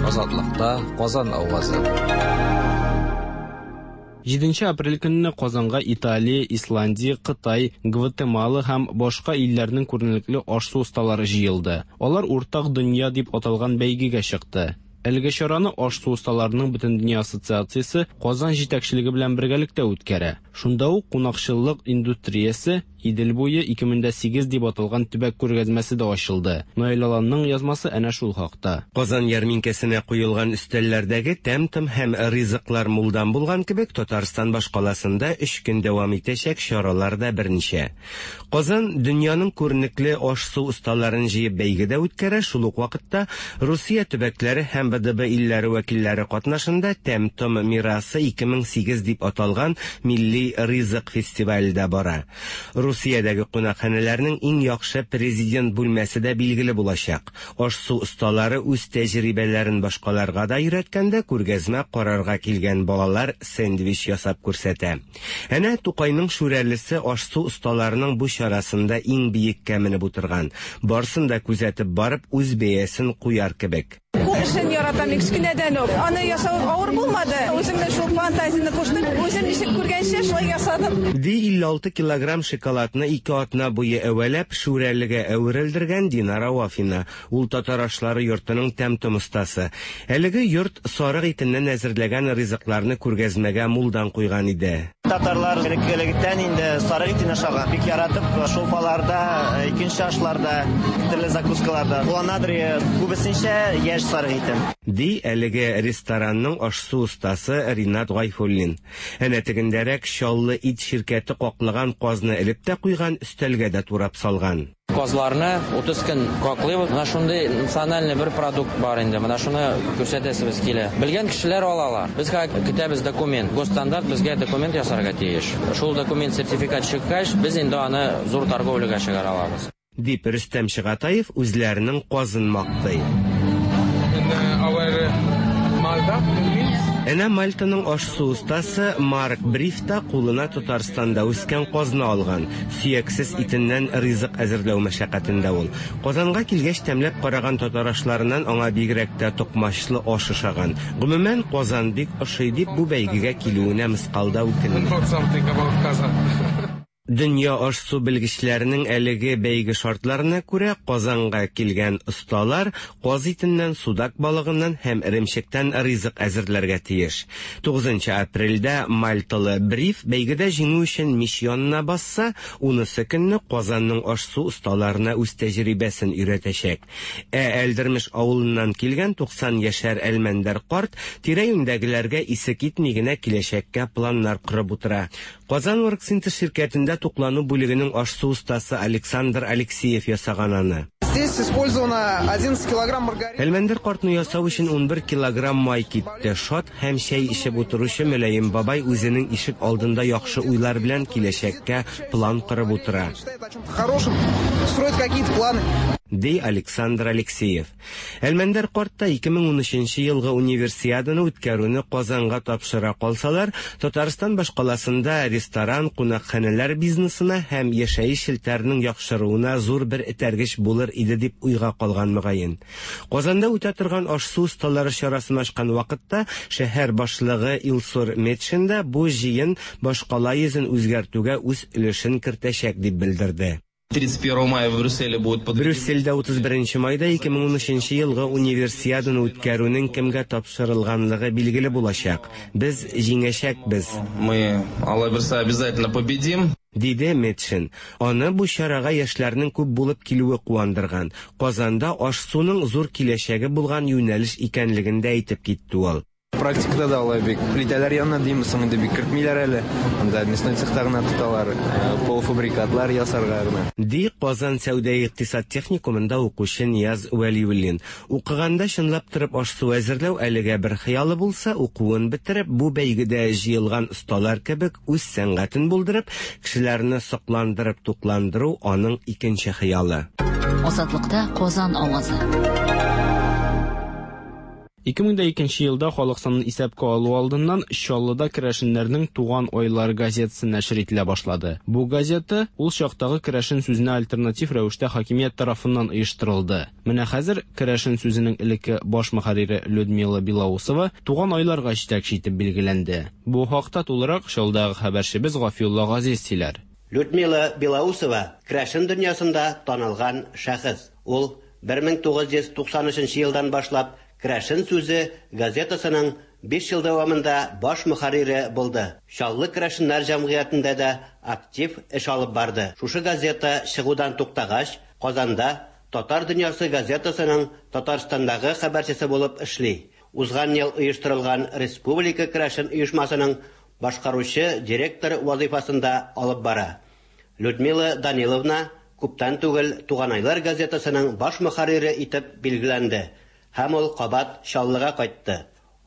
Азатлыкта Казан авазы. 7 апрель көнне Казанга Италия, Исландия, Кытай, Гватемала һәм башка илләрнең күренекле аш-су осталары җыелды. Алар Уртак дөнья дип аталган бәйгегә чыкты. Әлеге чараны аш-су осталарының Бөтендөнья ассоциациясе Казан җитәкчелеге белән бергәлектә үткәрә. Шунда ук кунакчыллык индустриясе Идел буе 2008 дип аталган төбәк күргәзмәсе дә ачылды. Наил Аланның язмасы әнә шул хакта. Казан ярминкәсенә куелган өстәлләрдәге тәм-том һәм ризыклар мулдан булган кебек, Татарстан башкаласында өч көн дәвам итәчәк чаралар да берничә. Казан дөньяның күренекле аш-су осталарын җыеп бәйге дә үткәрә, шул ук вакытта Русия төбәкләре һәм БДБ илләре вәкилләре катнашында Тәм-том мирасы 2008 дип аталган милли ризык фестивале дә бара. Русиядәге кунакханәләрнең иң яхшы президент бүлмәсе дә билгеле булачак. Аш-су осталары үз тәҗрибәләрен башкаларга да өйрәткәндә күргәзмә карарга килгән балалар сэндвич ясап күрсәтә. Әнә Тукайның Шүрәлесе аш-су осталарының бу чарасында иң биеккә менеп утырган. Барсын да күзәтеп барып, үз бәясен куяр кебек. Кул эшен яратам мин кечкенәдән үк. Аны ясау авыр булмады. Үземнең шул фантазияне куштым. Үзем ничек күргәнчә, шулай ясадым. Ди 56 килограмм шоколадны ике атна буе әвәләп, Шүрәлегә әверелдергән Динара Вафина. Ул татар ашлары йортының тәм-том остасы. Әлеге йорт сарык итеннән әзерләгән ризыкларны күргәзмәгә мулдан куйган иде. Татарлар элек-электән инде сарык итен ашаган. Бик яратып шулпаларда, икенче ашларда, төрле закускаларда кулланадыр, күбесенчә яшь сарык итен. Ди әлеге ресторанның аш-су остасы Ринат Гайфуллин. Әнә тегендәрәк Чаллы ит ширкәте каклаган казны элеп тә куйган, өстәлгә дә турап салган. Казларны 30 көн каклыйбыз. Менә шундый национальный бер продукт бар инде. Менә шуны күрсәтәсебез килә. Белгән кешеләр алалар. Без хәзер көтәбез документ. Госстандарт безгә документ ясарга тиеш. Шул документ сертификат чыккач, без инде аны зур торговляга чыгара алабыз. Дип Рөстәм Чыгатаев үзләренең казын мактый. Әнә Мальтаның аш-су остасы Марк Бриф та кулына Татарстанда үскән казны алган. Сөяксез итеннән ризык әзерләү мәшәкатендә ул. Казанга килгәч тәмләп караган татар ашларыннан аңа бигрәк тә токмачлы аш ошаган. Гомумән, Казан бик ошый дип бу бәйгегә килүенә мыскал да үкенми. Дөнья аш-су белгечләренең әлеге бәйге шартларына күрә, Казанга килгән осталар каз итеннән, судак балыгыннан һәм эремчектән ризык әзерләргә тиеш. Тугызынчы апрельдә мальталы Бриф бәйгедә җиңү өчен мич янына басса, унысы көнне Казанның аш-су осталарына үз тәҗрибәсен өйрәтәчәк. Ә Әлдермеш авылыннан килгән 90 яшәр Әлмәндәр карт тирә-юньдәгеләргә исе китми генә киләчәккә планнар корып утыра. Казан Оргсинтез ширкәтендә туклану бүлегенең аш-су остасы Александр Алексеев ясаган аны. Здесь использовано 11 килограмм маргарина. Әлмәндәр картны ясау өчен 11 килограмм май китте. Шат һәм чәй эчеп утыручы мөлаем бабай үзенең ишек алдында яхшы уйлар белән киләчәккә план корып утыра. Хорошим, строит какие-то планы. Ди Александр Алексеев. Әлмәндәр карт та 2013 елгы Универсиаданы үткәрүне Казанга тапшыра калсалар, Татарстан башкаласында ресторан, кунакханәләр бизнесына һәм яшәеш челтәренең яхшыруына зур бер этәргеч булыр иде дип уйга калган мөгаен. Казанда үтә торган аш-су осталары чарасын ачкан вакытта шәһәр башлыгы Илсур Метшин да бу җыен башкала йөзен үзгәртүгә үз өлешен кертәчәк дип белдерде. 31 мая в Брюсселе будет Брюссельдә 31 майда 2013 елгы Универсиаданы үткәрүнең кемгә тапшырылганлыгы билгеле булачак. Без җиңәчәкбез. Мы, Алла бирса, обязательно победим. Диде Метшин. Аны бу чарага яшьләрнең күп булып килүе куандырган. Казанда аш-суның зур киләчәге булган юнәлеш икәнлеген дә әйтеп китте ул. Практикада да алай бик плитәләр янына димме соң инде бик кертмиләр әле. Анда мясной цехта гына тоталар, полуфабрикатлар ясарга гына. Ди Казан сәүдә-икътисад техникумында укучы Нияз Вәлиуллин. Укыганда чынлап торып аш-су әзерләү әлегә бер хыялы булса, укуын бетереп, бу бәйгедә җыелган осталар кебек үз сәнгатен булдырып, кешеләрне сокландырып тукландыру аның икенче хыялы. Азатлыкта Казан авазы. 2002 елда халык санын исәпкә алу алдыннан Чаллыда керәшеннәрнең Туган айлар газетасы нәшер ителә башлады. Бу газета ул чактагы керәшен сүзенә альтернатив рәвештә хакимият тарафыннан оештырылды. Менә хәзер керәшен сүзенең элекке баш мөхәррире Людмила Белоусова Туган айларга җитәкче итеп билгеләнде. Бу хакта тулырак Чаллыдагы хәбәрчебез Гафиулла Газиз сөйләр. Людмила Белоусова керәшен дөньясында танылган шәхес. Ул 1993 елдан башлап Керәшен сүзе газетасының 5 ел дәвамында баш мөхәррире булды. Чаллы керәшеннәр җәмгыятендә дә актив эш алып барды. Шушы газета чыгудан туктагач, Казанда Татар дөньясы газетасының Татарстандагы хәбәрчесе булып эшли. Узган ел оештырылган Республика керәшен оешмасының башкаручы директор вазыйфасын да алып бара. Людмила Даниловна күптән түгел Туганайлар газетасының баш мөхәррире итеп билгеләнде. Һәм ул кабат Чаллыга кайтты.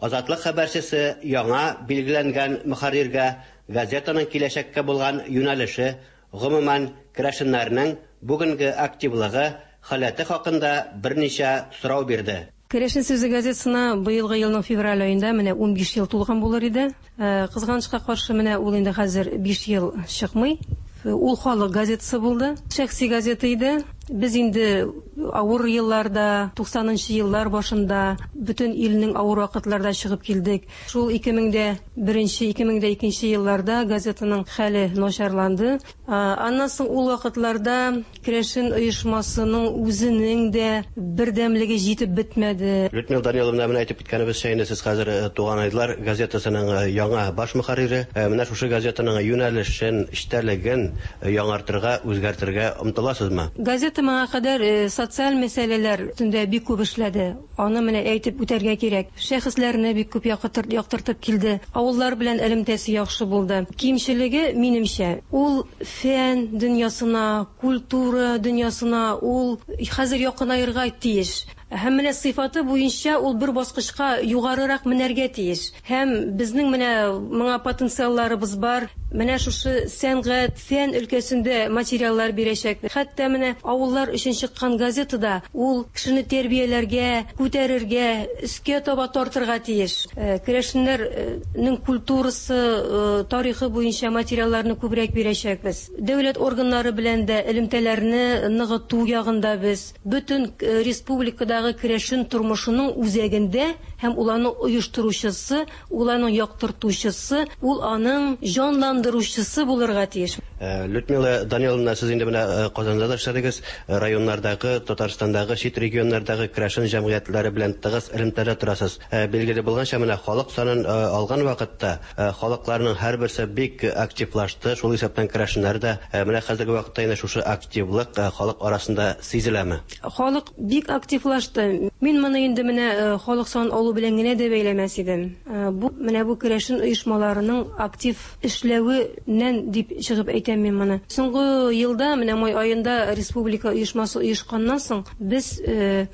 Азатлык хәбәрчесе яңа билгеләнгән мөхәрриргә газетаның киләчәккә булган юнәлеше, гомумән, керәшеннәрнең бүгенге активлыгы, халәте хакында берничә сорау бирде. Керәшен сүзе газетасына быелгы елның февраль аенда менә 15 ел тулган булыр иде. Кызганычка каршы, менә ул инде хәзер 5 ел чыкмый. Ул халык газетасы булды, шәхси газета иде. Без инде авыр елларда, 90нчы еллар башында бөтен илнең авыр вакытларда чыгып килдек. Шул 2001, 2002 елларда газетаның хәле начарланды. Аннан соң ул вакытларда керәшен оешмасының үзенең дә бердәмлеге җитеп бетмәде. Людмила Даниловна, менә әйтеп киткәнебезчә, инде сез хәзер Туганайлар газетасының яңа баш мөхәррире. Менә шушы газетаның юнәлешен, эчтәлеген яңартырга, үзгәртергә омтыласызмы? Газета моңа кадәр социаль мәсьәләләр өстендә бик күп эшләде. Аны менә әйтеп үтәргә кирәк. Шәхесләрне бик күп яктыртып килде. Авыллар белән элемтәсе яхшы булды. Кимчелеге, минемчә, ул фән дөньясына, культура дөньясына ул хәзер якынаерга тиеш. Һәм менә сыйфаты буенча ул бер баскычка югарырак менәргә тиеш. Һәм безнең менә моңа потенциалларыбыз бар. Менә шушы сәнгать, фән өлкәсендә материаллар бирәчәк. Хәтта менә авыллар өчен чыккан газетада ул кешене тәрбияләргә, күтәрергә, өскә таба тартырга тиеш. Керәшеннәрнең культурасы, тарихы буенча материалларны күбрәк бирәчәкбез. Дәүләт органнары белән дә элемтәләрне ныгыту ягында без. Бөтен республикадагы керәшен тормышының үзәгендә һәм ул аның оештыручысы, ул аның яктыртучысы, ул аның җанландыручысы булырга тиеш. Людмила Даниловна, сез инде менә Казанда да эшләдегез, районнардагы, Татарстандагы, чит регионнардагы керәшен җәмгыятьләре белән тыгыз элемтәдә торасыз. Билгеле булганча, менә халык санын алган вакытта халыкларның һәрберсе бик активлашты, шул исәптән керәшеннәр дә. Менә хәзерге вакытта инде шушы активлык халык арасында сизеләме? Халык бик активлашты. Мин моны инде менә халык санын алу белән генә дә бәйләмәс идем. Бу менә бу керәшен оешмаларының актив эшләвеннән дип чыгып әйтәм мин моны. Соңгы елда, менә май аенда республика оешмасы оешканнан соң, без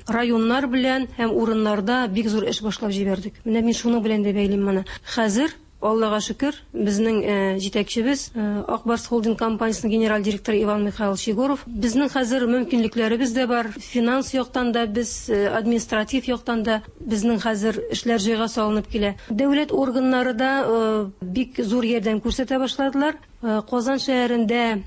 районнар белән һәм урыннарда бик зур эш башлап җибәрдек. Менә мин шуның белән дә бәйлим моны. Хәзер Аллага шөкер, безнең җитәкчебез Ак Барс Холдинг компаниясенең генераль директоры Иван Михайлович Егоров. Безнең хәзер мөмкинлекләребез дә бар, финанс яктан да без, административ яктан да безнең хәзер эшләр җайга салынып килә. Дәүләт органнары да бик зур ярдәм күрсәтә башладылар. Казан шәһәрендә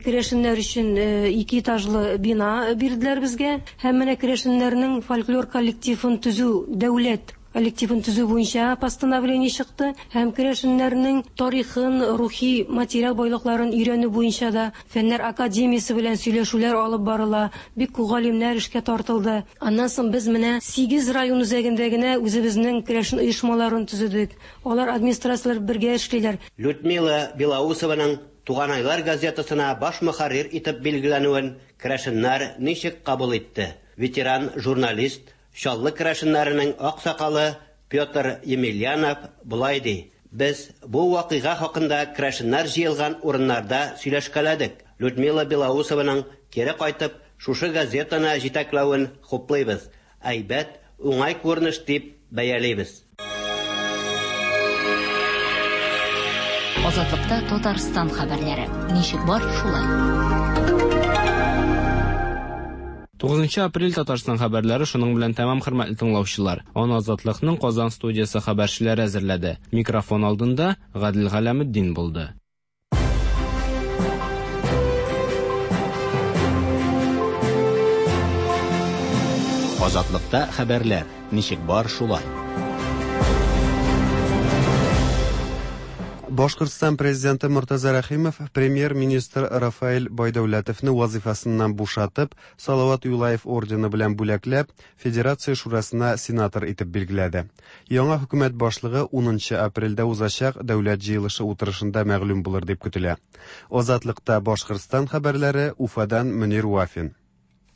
керәшеннәр өчен 2 этажлы бина бирделәр безгә. Һәм менә керәшеннәрнең фольклор коллективын төзү, дәүләт коллективын төзү буенча постановление чыкты. Һәм керәшеннәрнең тарихын, рухи материал байлыкларын өйрәнү буенча да Фәннәр академиясе белән сөйләшүләр алып барыла. Бик күп галимнәр эшкә тартылды. Аннан соң без менә 8 район үзәгендә генә үзебезнең керәшен оешмаларын төзедек. Алар администрацияләр бергә эшлиләр. Людмила Белоусованың Туганайлар газетасына баш мөхәррир итеп билгеләнүен керәшеннәр ничек кабул итте? Ветеран журналист, Чаллы керәшеннәренең аксакалы Петр Емельянов болай ди: Без бу вакыйга хакында керәшеннәр җыелган урыннарда сөйләшкәләдек. Людмила Белоусованың кире кайтып шушы газетаны җитәкләвен хуплыйбыз. Әйбәт, уңай күренеш дип бәялибез. Азатлыкта Татарстан хәбәрләре. Ничек бар, шулай. 9 апрель Татарстан хәбәрләре шуның белән тәмам, хөрмәтле тыңлаучылар. Аны Азатлыкның Казан студиясе хәбәрчеләре әзерләде. Микрофон алдында Гадел Галәметдин булды. Азатлыкта хәбәрләр. Ничек бар, шулай. Башкортстан президенты Мортаза Рәхимов премьер-министр Рафаэль Байдәүләтовны вазифасыннан бушатып, Салават Юлаев ордены белән бүләкләп, Федерация шурасына сенатор итеп билгеләде. Яңа хөкүмәт башлыгы 10 апрельдә узачак дәүләт җыелышы утырышында мәгълүм булыр дип көтелә. Азатлыкта Башкортстан хәбәрләре Уфадан Мөнир Вафин.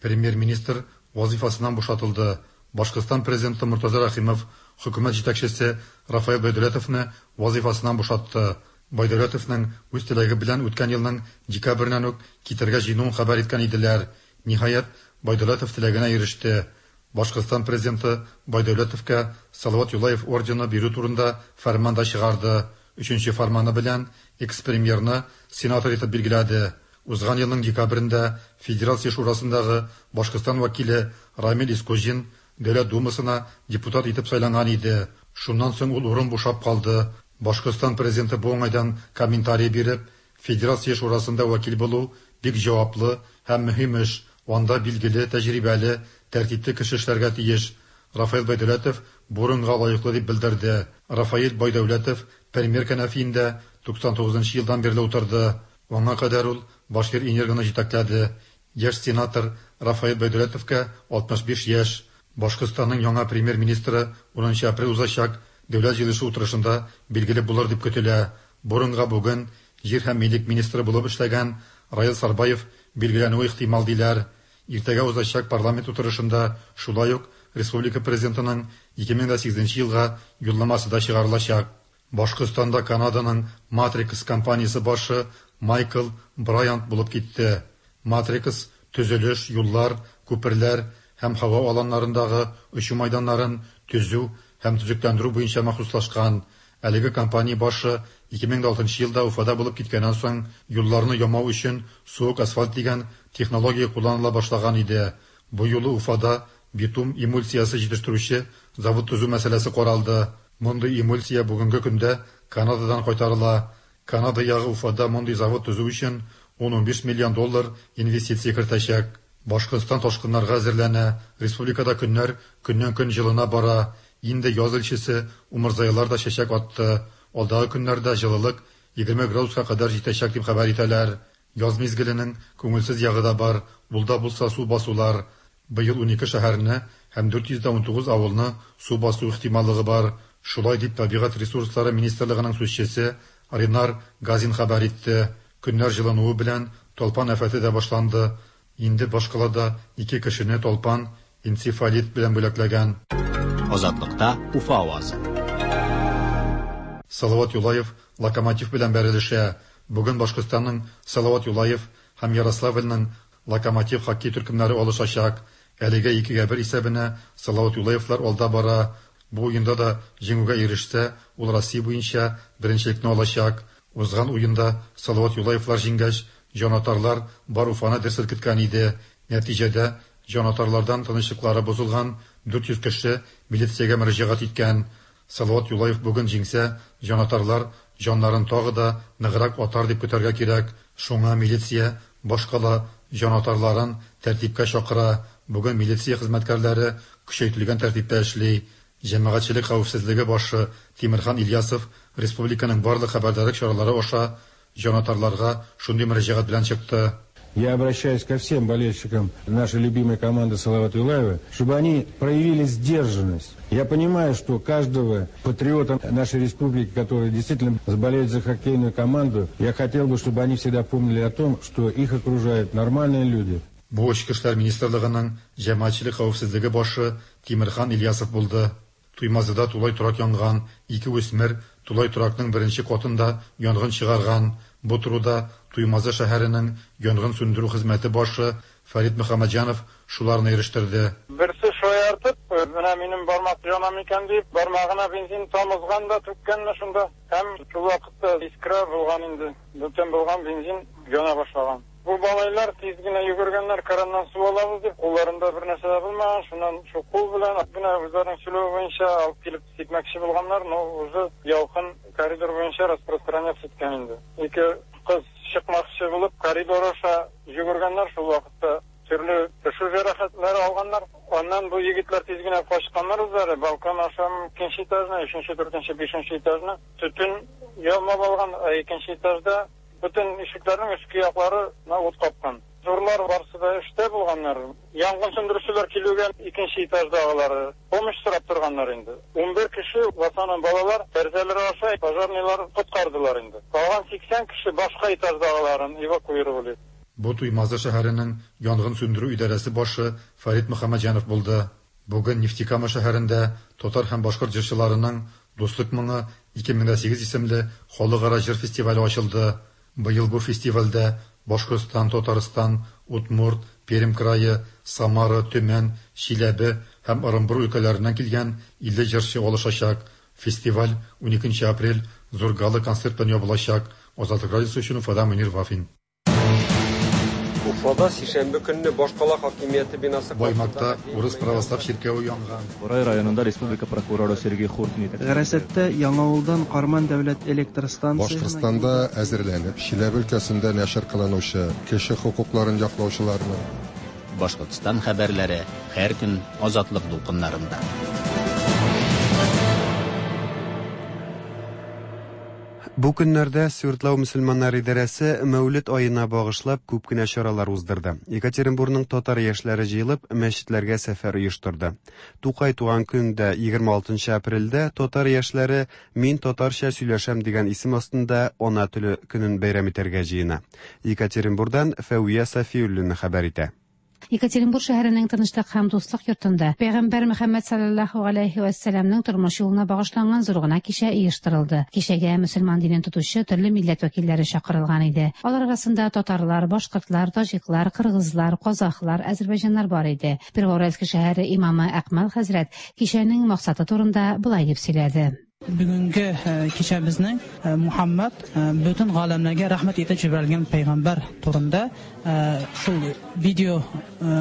Премьер-министр вазифасыннан бушатылды. Башкортстан президенты Мортаза Рәхимов хөкүмәт җитәкчесе Рафаэль Байдәүләтовны вазифасыннан бушатты. Байдәүләтовның үз теләге белән үткән елның декабреннән үк китәргә җыенуын хәбәр иткән иделәр. Ниһаять, Байдәүләтов теләгенә иреште. Башкортстан президенты Байдәүләтовка Салават Юлаев ордены бирү турында фәрман да чыгарды. Өченче фәрманы белән экс-премьерны сенатор итеп билгеләде. Узган елның декабрендә Федерация шурасындагы Башкортстан вәкиле Рамил Искуҗин Дәүләт Думасына депутат итеп сайланган иде. Шуннан соң ул урын бушап калды. Башкортстан президенты бу уңайдан комментарий биреп, Федерация шурасында вәкил булу бик җаваплы һәм мөһим эш. Анда билгеле, тәҗрибәле, тәртипле кеше эшләргә тиеш. Рафаэль Байдәүләтов бу урынга лаеклы дип белдерде. Рафаэль Байдәүләтов премьер кәнәфиендә 99 нчы елдан бирле утырды. Аңа кадәр ул Башкир-Энергоны җитәкләде. Яшь сенатор Рафаэль Байдәүләтовка 65 яшь. Башкортстанның яңа премьер-министры унынчы апрель узачак Дәүләт җыелышы утырышында билгеле булыр дип көтелә. Бу урынга бүген җир һәм милек министры булып эшләгән Раил Сарбаев билгеләнүе ихтимал диләр. Иртәгә узачак парламент утырышында шулай ук республика Президентының 2008 нче елга Юлламасы да чыгарылачак. Башкортстанда Канаданың Matrix компаниясе башы Майкл Брайант булып китте. Matrix төзелеш, юллар, күперләр һәм һава аланнарындагы очу майданнарын төзү һәм төзекләндерү буенча махсуслашкан. Әлеге компания башы 2006 нчы елда Уфада булып киткәннән соң юлларны ямау өчен суык асфальт дигән технология кулланыла башлаган иде. Бу юлы Уфада битум эмульсиясе җитештерүче завод төзү мәсьәләсе каралды. Мондый эмульсия бүгенге көндә Канададан кайтарыла. Канада ягы Уфада мондый завод төзү өчен ун-унбиш миллион доллар инвестиция кертәчәк. Башкортстан ташкыннарга әзерләнә. Республикада көннәр көннән-көн җылына бара. Инде яз илчесе умырзаялар да чәчәк атты. Алдагы көннәрдә җылылык 20 градуска кадәр җитәчәк дип хәбәр итәләр. Яз мизгеленең күңелсез ягы да бар, ул да булса су басулар. Быел унике шәһәрне һәм 419 авылны су басу ихтималлыгы бар. Шулай дип Табигать ресурслары министрлыгының сүзчесе Ринар Газин хәбәр итте. Көннәр җылынуы белән талпан афәте дә башланды. Инде башкалада ике кешене талпан энцефалит белән бүләкләгән. Азатлыкта Уфа авазы. Салават Юлаев Локомотив белән бәрелешә. Бүген Башкортстанның Салават Юлаев һәм Ярославльның Локомотив хоккей төркемнәре алышачак. Әлегә икегә бер исәбенә Салават Юлаевлар алда бара. Бу уенда да җиңүгә ирешсә, ул Россия буенча беренчелекне алачак. Узган уенда Салават Юлаевлар җиңгәч, җанатарлар бар Уфаны дер селкеткән иде. Нәтиҗәдә, җанатарлардан тынычлыклары бозылган 400 кеше милициягә мөрәҗәгать иткән. Салават Юлаев бүген җиңсә, җанатарлар җаннарын тагы да ныграк атар дип көтәргә кирәк. Шуңа милиция башкала җанатарларын тәртипкә чакыра. Бүген милиция хезмәткәрләре көчәйтелгән тәртиптә эшли. Җәмәгатьчелек хәвефсезлеге башы Тимерхан Ильясов республиканың барлык хәбәрдарлык чаралары аша җанатарларга шундый мөрәҗәгать белән чыкты. Я обращаюсь ко всем болельщикам нашей любимой команды Салават Юлаева, чтобы они проявили сдержанность. Я понимаю, что каждого патриота нашей республики, который действительно болеет за хоккейную команду, я хотел бы, чтобы они всегда помнили о том, что их окружают нормальные люди. Бу Эчке эшләр министрлыгының җәмәгатьчелек хәвефсезлеге башы Тимерхан Ильясов булды. Туймазыда тулай торак янган, ике үсмер тулай торакның беренче катында янгын чыгарган. Бу турыда Туймазы шәһәренең янгын сүндерү хезмәте башы Фәрит Мөхәммәтҗанов шуларны ирештерде. Берсе шаяртып, менә минем бармак яна микән дип, бармагына бензин тамызган да түккән менә шунда. Һәм шул вакытта искра булган инде, бөтен булган бензин яна башлаган. Бу малайлар тиз генә йөгергәннәр, краннан су алабыз дип, кулларында бер нәрсә дә булмаган, шуннан шул кул белән генә үзләренең сөйләве буенча алып килеп сипмәкче булганнар, но уже ялкын коридор буенча распространяться иткән инде. Ике кыз чыкмакчы булып коридор аша йөгергәннәр, шул вакытта төрле төшү җәрәхәтләре алганнар. Аннан бу егетләр тиз генә качканнар үзләре, балкон аша икенче этажны, өченче, дүртенче, бишенче этажны төтен ялмап алган, ә икенче этажда Бөтен ишекләрнең өске яклары на ут капкан. Зурлар барысы да эштә булганнар. Янгын сүндерүчеләр килүгә икенче этаждагылары помощь сорап торганнар инде. 11 кеше, в основном балалар, тәрәзәләр аша пожарныйлар коткардылар инде. Калган 80 кеше башка этаждагыларын эвакуировали. Бу Туймазы шәһәренең янгын сүндерү идарәсе башы Фәрит Мөхәммәтҗанов булды. Бүген Нефтекама шәһәрендә татар һәм башкорт җырчыларының Дуслык моңы 2008 исемле халыкара җыр фестивале ачылды. Быел бу фестивальдә Башкортстан, Татарстан, Удмурт, Пермь крае, Самара, Төмән, Чиләбе һәм Ырынбур өлкәләреннән килгән 50 җырчы алышачак. Фестиваль уникенче апрель зур гала-концерт белән ябылачак. Азатлык радиосы өчен Уфадан Мөнир Вафин. Уфада сишәмбе көнне башкала хакимияте бинасы Баймакта урыс православ чиркәве янган. Борай районында республика прокуроры Сергей Хуртин итәкчелегендәге. Гарәсәттә Яңавылдан Карман дәүләт электр станциясенә Башкортстанда әзерләнеп, Чиләбе өлкәсендә нәшер кылынучы кеше хокукларын яклаучыларның, Башкортстан хәбәрләре һәр көн Азатлык дулкыннарында. Бу көннәрдә Свердлау мөселманнар идарәсе Мәүлид аена багышлап күп кенә чаралар уздырды. Екатеринбурның татар яшьләре җыелып, мәчетләргә сәфәр оештырды. Тукай туган көндә 26 апрельдә татар яшьләре Мин татарча сөйләшәм дигән исем астында Ана теле көнен бәйрәм итәргә җыена. Екатеринбурдан Фәвия Сафиуллина хәбәр итә. Екатеринбур шәһәренең Тынычлык һәм дуслык йортында Пәйгамбәр Мөхәммәд салләллаһу галәйһи вә сәламнең тормыш юлына багышланган зур гына кичә оештырылды. Кичәгә мөселман динен тотучы төрле милләт вәкилләре чакырылган иде. Алар арасында татарлар, башкортлар, таҗиклар, кыргызлар, казахлар, әзербайҗаннар бар иде. Первоуральск шәһәре имамы Әкмәл хәзрәт кичәнең максаты турында болай дип сөйләде. Бүгенге кичәбезнең Мухаммад бөтен галәмнәргә рәхмәт итеп җибәрелгән пәйгамбәр турында шул видео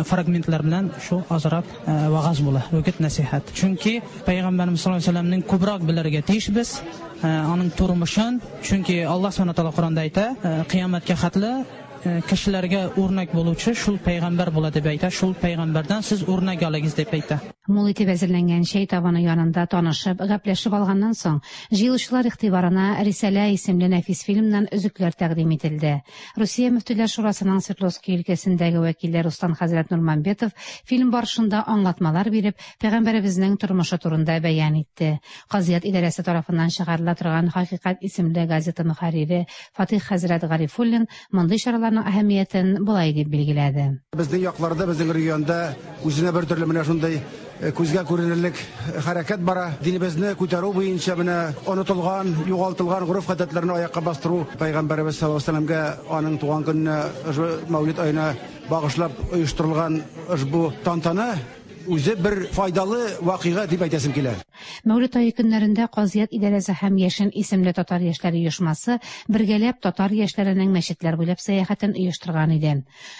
фрагментлар белән шул азрак вагаз була, үгет нәсихәт. Чөнки пәйгамбәребез саллаллаһу алейһи вәсәлләмнең күбрәк белергә тиешбез, аның тормышын, чөнки Аллаһ субхана тәгалә Коранда әйтә, кыямәткә хәтле кешеләргә үрнәк булучы шул пәйгамбәр була дип әйтә, шул пәйгамбәрдән сез үрнәк алыгыз дип әйтә. Мул итеп әзерләнгән чәй табыны янында танышып, гәпләшеп алганнан соң, җыелучылар игътибарына Рисалә исемле нәфис фильмнан өзекләр тәкъдим ителде. Русия Мөфтиләр шурасының Свердловски өлкәсендәге вәкиле Руслан хәзрәт Нурмамбетов фильм барышында аңлатмалар биреп, пәйгамбәребезнең тормышы турында бәян итте. Казыят идарәсе тарафыннан чыгарыла торган Хакыйкать исемле газета мөхәррире Фатыйх хәзрәт Гарифуллин мондый чараларның әһәмиятен болай дип билгеләде. Безнең якларда, безнең регионда үзенә бер төрле менә шундый э, күзгә күренерлек хәрәкәт бара. Динебезне күтәрү буенча менә онытылган, югалтылган гореф-гадәтләрне аякка бастыру Пәйгамбәребез саллаллаһу алейһи вәсәлләмгә аның туган көненә, Мәүлид аена багышлап оештырылган ошбу тантана үзе бер файдалы вакыйга дип әйтәсем килә. Мәүлид ае көннәрендә Казыят идарәсе һәм Яшен исемле татар яшьләре оешмасы бергәләп татар яшьләренең мәчетләр буйлап сәяхәтен оештырган иде.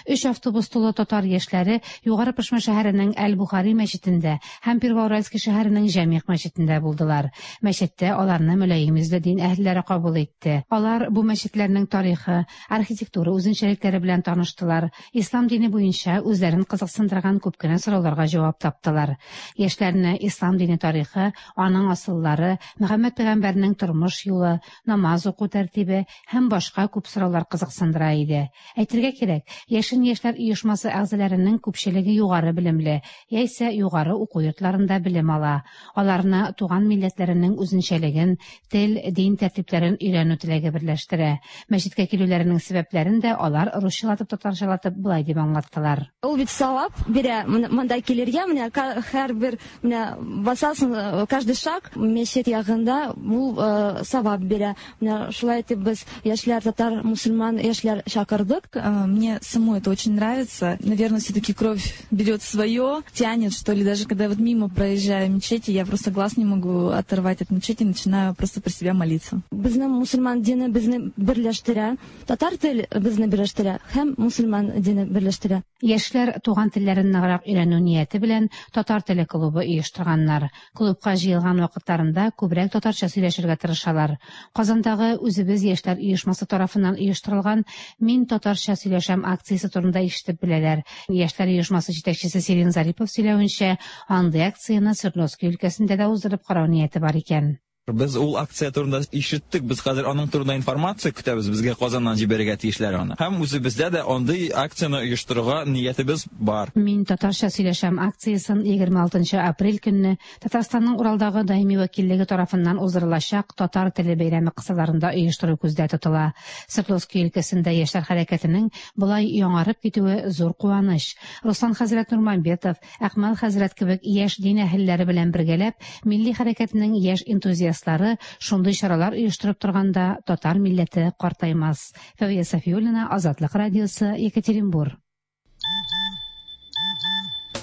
Өч автобус тулы татар яшьләре Югары Пышма шәһәренең Әл-Бухари мәчетендә һәм Первоуральский шәһәренең Җәмигъ мәчетендә булдылар. Мәчеттә аларны мөлаем йөзле дин әһелләре кабул итте. Алар бу мәчетләрнең тарихы, архитектура үзенчәлекләре белән таныштылар, Ислам дине буенча үзләрен кызыксындырган күп кенә сорауларга җавап таптылар. Яшьләрне ислам дине тарихы, аның асыллары, Мөхәммәд пәйгамбәрнең тормыш юлы, намаз уку тәртибе һәм башка күп сораулар кызыксындыра иде. Әйтергә кирәк, Яшен яшьләр оешмасы әгъзаләренең күпчелеге югары белемле, яисә югары уку йортларында белем ала. Аларны туган милләтләренең үзенчәлеген, тел, дин тәртипләрен өйрәнү теләге берләштерә. Мәчеткә килүләренең сәбәпләрен дә алар русчалатып-татарчалатып болай дип аңлаттылар. Ул бит савап бирә монда килергә, менә һәрбер менә басасың, э, каждый шаг мәчет ягында ул э, савап бирә. Менә шулай итеп без яшьләр, татар, мусульман яшьләр чакырдык. Э, мне самой это очень нравится. Наверное, все-таки кровь берет свое, тянет, что ли, даже когда вот мимо проезжаю мечети, я просто глаз не могу оторвать от мечети, начинаю просто про себя молиться. Безнең мусульман дине безне берләштерә, татар тел безне берләштерә һәм мусульман дине берләштерә. Яшьләр туган телләрен ныграк өйрәнү нияте белән татар теле клубы оештырганнар. Клубка җыелган вакытларында күбрәк татарча сөйләшергә тырышалар. Казандагы Үзебез яшьләр оешмасы тарафыннан оештырылган Мин татарча сөйләшәм акциясе турында ишетеп беләләр. Яшьләр оешмасы җитәкчесе Сирин Зарипов сөйләвенчә, андый акцияне Свердловски өлкәсендә дә уздырып карау нияте бар икән. Без ул акция турында ишеттек, без хәзер аның турында информация көтәбез, безгә Казаннан җибәрергә тиешләр аны. Һәм үзебездә дә андый акцияне оештырырга ниятебез бар. Мин татарча сөйләшәм акциясен 26 нчы апрель көнне Татарстанның Уралдагы даими вәкиллеге тарафыннан уздырылачак Татар теле бәйрәме кысаларында оештыру күздә тотыла. Свердловски өлкәсендә яшьләр хәрәкәтенең болай яңарып китүе зур куаныч. Руслан хәзрәт Нурмамбетов, Әкмәл хәзрәт кебек яшь дин әһелләре белән бергәләп, милли хәрәкәтнең яшь энтузиастлары шундый чаралар оештырып торганда татар милләте картаймас. Фәвия Сафиуллина, Азатлык радиосы, Екатеринбур.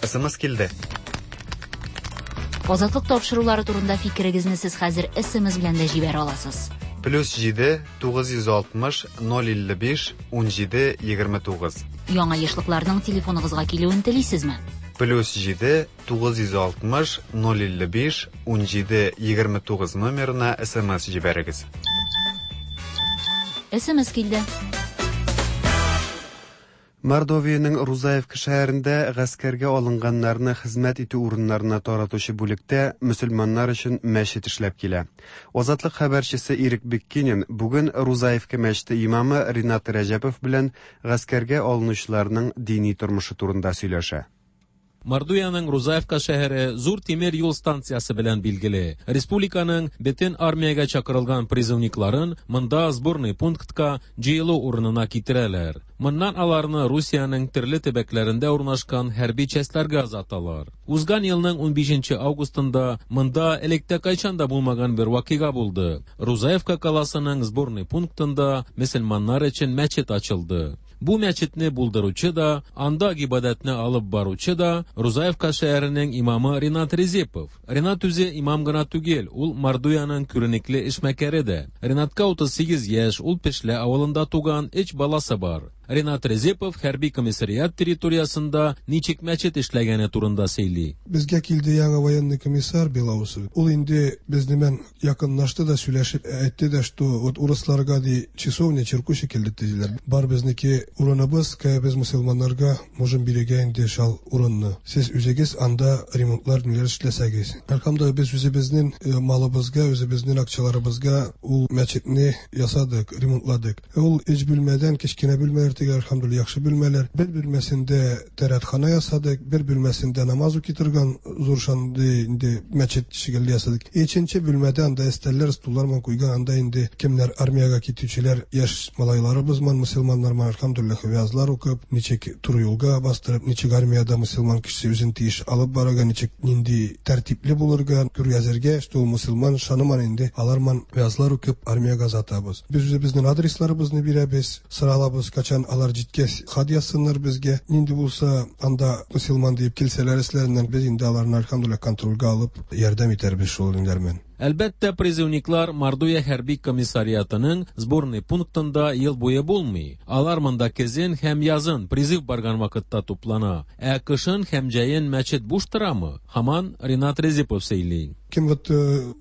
СМС килде. Азатлык тапшырулары турында фикерегезне сез хәзер СМС белән дә җибәрә аласыз. Плюс 7 960 055 17 29. Яңа ешлыкларның телефоныгызга килүен телисезме? Плюс 7 960 055 17 29 номерына СМС җибәрегез. СМС килде. Мордовиянең Рузаевка шәһәрендә гаскәргә алынганнарны хезмәт итү урыннарына таратучы бүлектә мөселманнар өчен мәчет эшләп килә. Азатлык хәбәрчесе Ирек Биккинин бүген Рузаевка мәчете имамы Ринат Рәҗәпов белән гаскәргә алынучыларның дини тормышы турында сөйләшә. Мордовиянең Рузаевка шәһәре зур тимер юл станциясе белән билгеле. Республиканың бөтен армиягә чакырылган призывникларын монда сборный пунктка җыелу урынына китерәләр. Моннан аларны Русиянең төрле төбәкләрендә урнашкан хәрби частьләргә озаталар. Узган елның 15 августында монда электә кайчан да булмаган бер вакыйга булды. Рузаевка каласының сборный пунктында мөселманнар өчен мәчет ачылды. Бу мәчетне булдыручы да, анда гыйбадәтне алып баручы да Рузаевка шәһәренең имамы Ринат Резепов. Ринат үзе имам гына түгел, ул Мордовиянең күренекле эшмәкәре дә. Ринатка 38 яшь, ул Пешлә авылында туган, өч баласы бар. Ринат Резепов хәрби комиссариат территориясендә ничек мәчет эшләгәне турында сөйли. Безгә килде яңа военный комиссар Белоусов. Ул инде безнең белән якынлашты да сөйләшеп әйтте дә, что вот урысларга ди часовня чиркү шикелле төзиләр. Бар безнеке урыныбыз, кая без мөселманнарга можем бирергә инде шал урынны. Сез үзегез анда ремонтлар ниләр эшләсәгез. Әлхәмдүлилләһ, без үзебезнең малыбызга, үзебезнең акчаларыбызга ул мәчетне ясадык, ремонтладык. Ул өч бүлмәдән кечкенә бүлмәләр түгел, әлхәмдүлилләһ, яхшы бүлмәләр. Бер бүлмәсендә тәрәтхана ясадык, бер бүлмәсендә намаз укый торган зур шундый инде мәчет шикелле ясадык. Икенче бүлмәдә анда өстәлләр, стуллар ман куйган, анда инде кемнәр армиягә китүчеләр, яшь малайларыбыз ман, мөселманнар ман, әлхәмдүлилләһ, вязлар укып, ничек туры юлга бастырып, ничек армиядә мөселман кешесе үзен тиеш алып барырга, ничек нинди тәртипле булырга, күргәзергә, что ул мөселман шаныман инде, алар ман вязлар укып армиягә озатабыз. Без үзебезнең адресларыбызны бирәбез, соралабыз, качан алар җиткәч хат язсыннар безгә. Нинди булса анда мөселман диеп килсәләр эшләреннән, без инде аларны әлхәмдүлилләһ контрольгә алып ярдәм итәрбез шул ниләр белән. Әлбәттә, призывниклар Мордовия хәрби комиссариатының сборный пунктында ел буе булмый. Алар монда көзен һәм язын призыв барган вакытта туплана. Ә кышын һәм җәен мәчет буш торамы? Һаман Ринат Резепов сөйли. Кем вот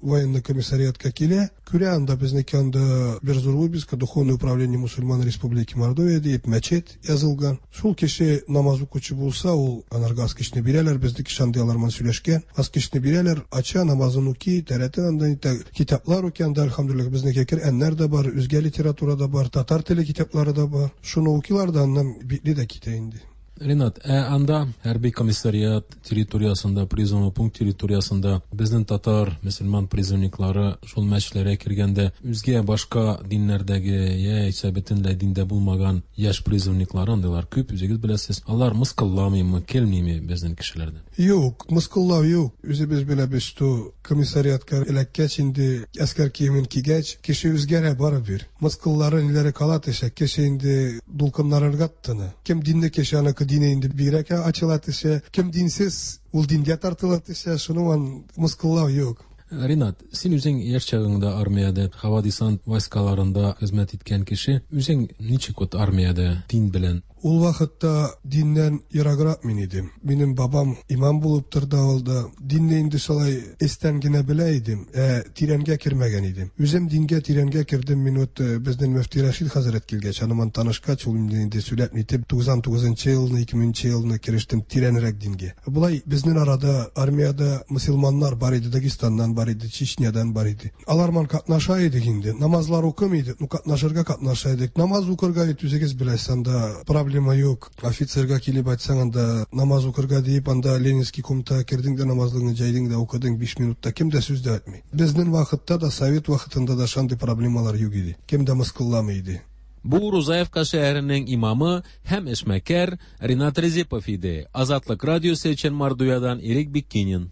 военный комиссариатка килә, күрә анда безнеке анда бер зур вывеска Духовное управление мусульман Республики Мордовия дип мәчет язылган. Шул кеше намаз укучы булса, ул анарга аскычны бирәләр, безнеке шундый алар белән сөйләшкән. Аскычны бирәләр, ача, намазын укый, тәрәтен анда итә, китаплар укый анда, әлхәмдүлилләһ, безнеке Коръәннәр дә бар, үзгә литература да бар, татар теле китаплары да бар. Шуны укыйлар да, аннан битле дә китә инде. Ринат, ә анда хәрби комиссариат территориясендә, призывный пункт территориясендә безнең татар, мөселман призывниклары шул мәчетләргә кергәндә үзгә башка диннәрдәге яисә бөтенләй диндә булмаган яшь призывниклары андыйлар күп, үзегез беләсез. Алар мыскылламыймы, килмиме безнең кешеләрдән? Юк, мыскыллау юк. Үзебез беләбез, что комиссариатка эләккәч инде әскәр киемен кигәч, кеше үзгәрә барыбер. Мыскыллары ниләре кала төшә, кеше инде дулкыннарырга тотына. Кем динле кеше, аныкы дине инде бигрәк ачыла төшә. Кем динсез, ул дингә тартыла төшә. Шуның ан мыскыллау юк. Ринат, син үзең яшь чагыңда армиядә, һава десант войскаларында хезмәт иткән кеше, үзең ничек вот армиядә дин белән? Ул вакытта диннән ераграк мин идем. Минем бабам имам булып торды авылда. Динне инде шулай эстән генә белә идем, ә тирәнгә кермәгән идем. Үзем дингә тирәнгә кердем. Мин вот безнең мөфти Рәшид хәзрәт килгәч, аны танышкач, ул инде инде сөйләп нитеп, 99 елны, 2000 елны керештем тирәнрәк дингә. Болай безнең арада армиядә мөселманнар бар иде, Дагестаннан бар иде, Чечнядан бар иде. Алар ман катнаша идек инде. Намазлар укымый идек, ну катнашырга катнаша идек. Намаз укырга бит үзегез беләсез, анда проблема юк. Офицерга килеп әйтсәң, анда намаз укырга диеп, анда Ленинский комната кердең дә намазлыгыңны җәйдең дә укыдың 5 минутта, кем дә сүз дә әйтми. Безнең вакытта да, совет вакытында да шундый проблемалар юк иде. Кем дә мыскылламый иде. Бу Рузаевка шәһәренең имамы һәм эшмәкәр Ринат Резепов иде. Азатлык радиосы өчен Мордовиядан Ирек Биккинин.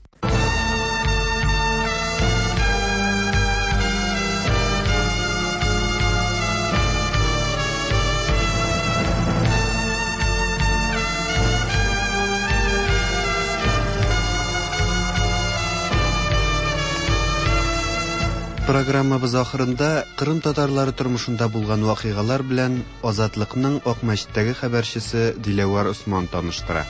Программабыз ахырында Кырым татарлары тормышында булган вакыйгалар белән Азатлыкның Акмәчеттәге хәбәрчесе Диләвәр Осман таныштыра.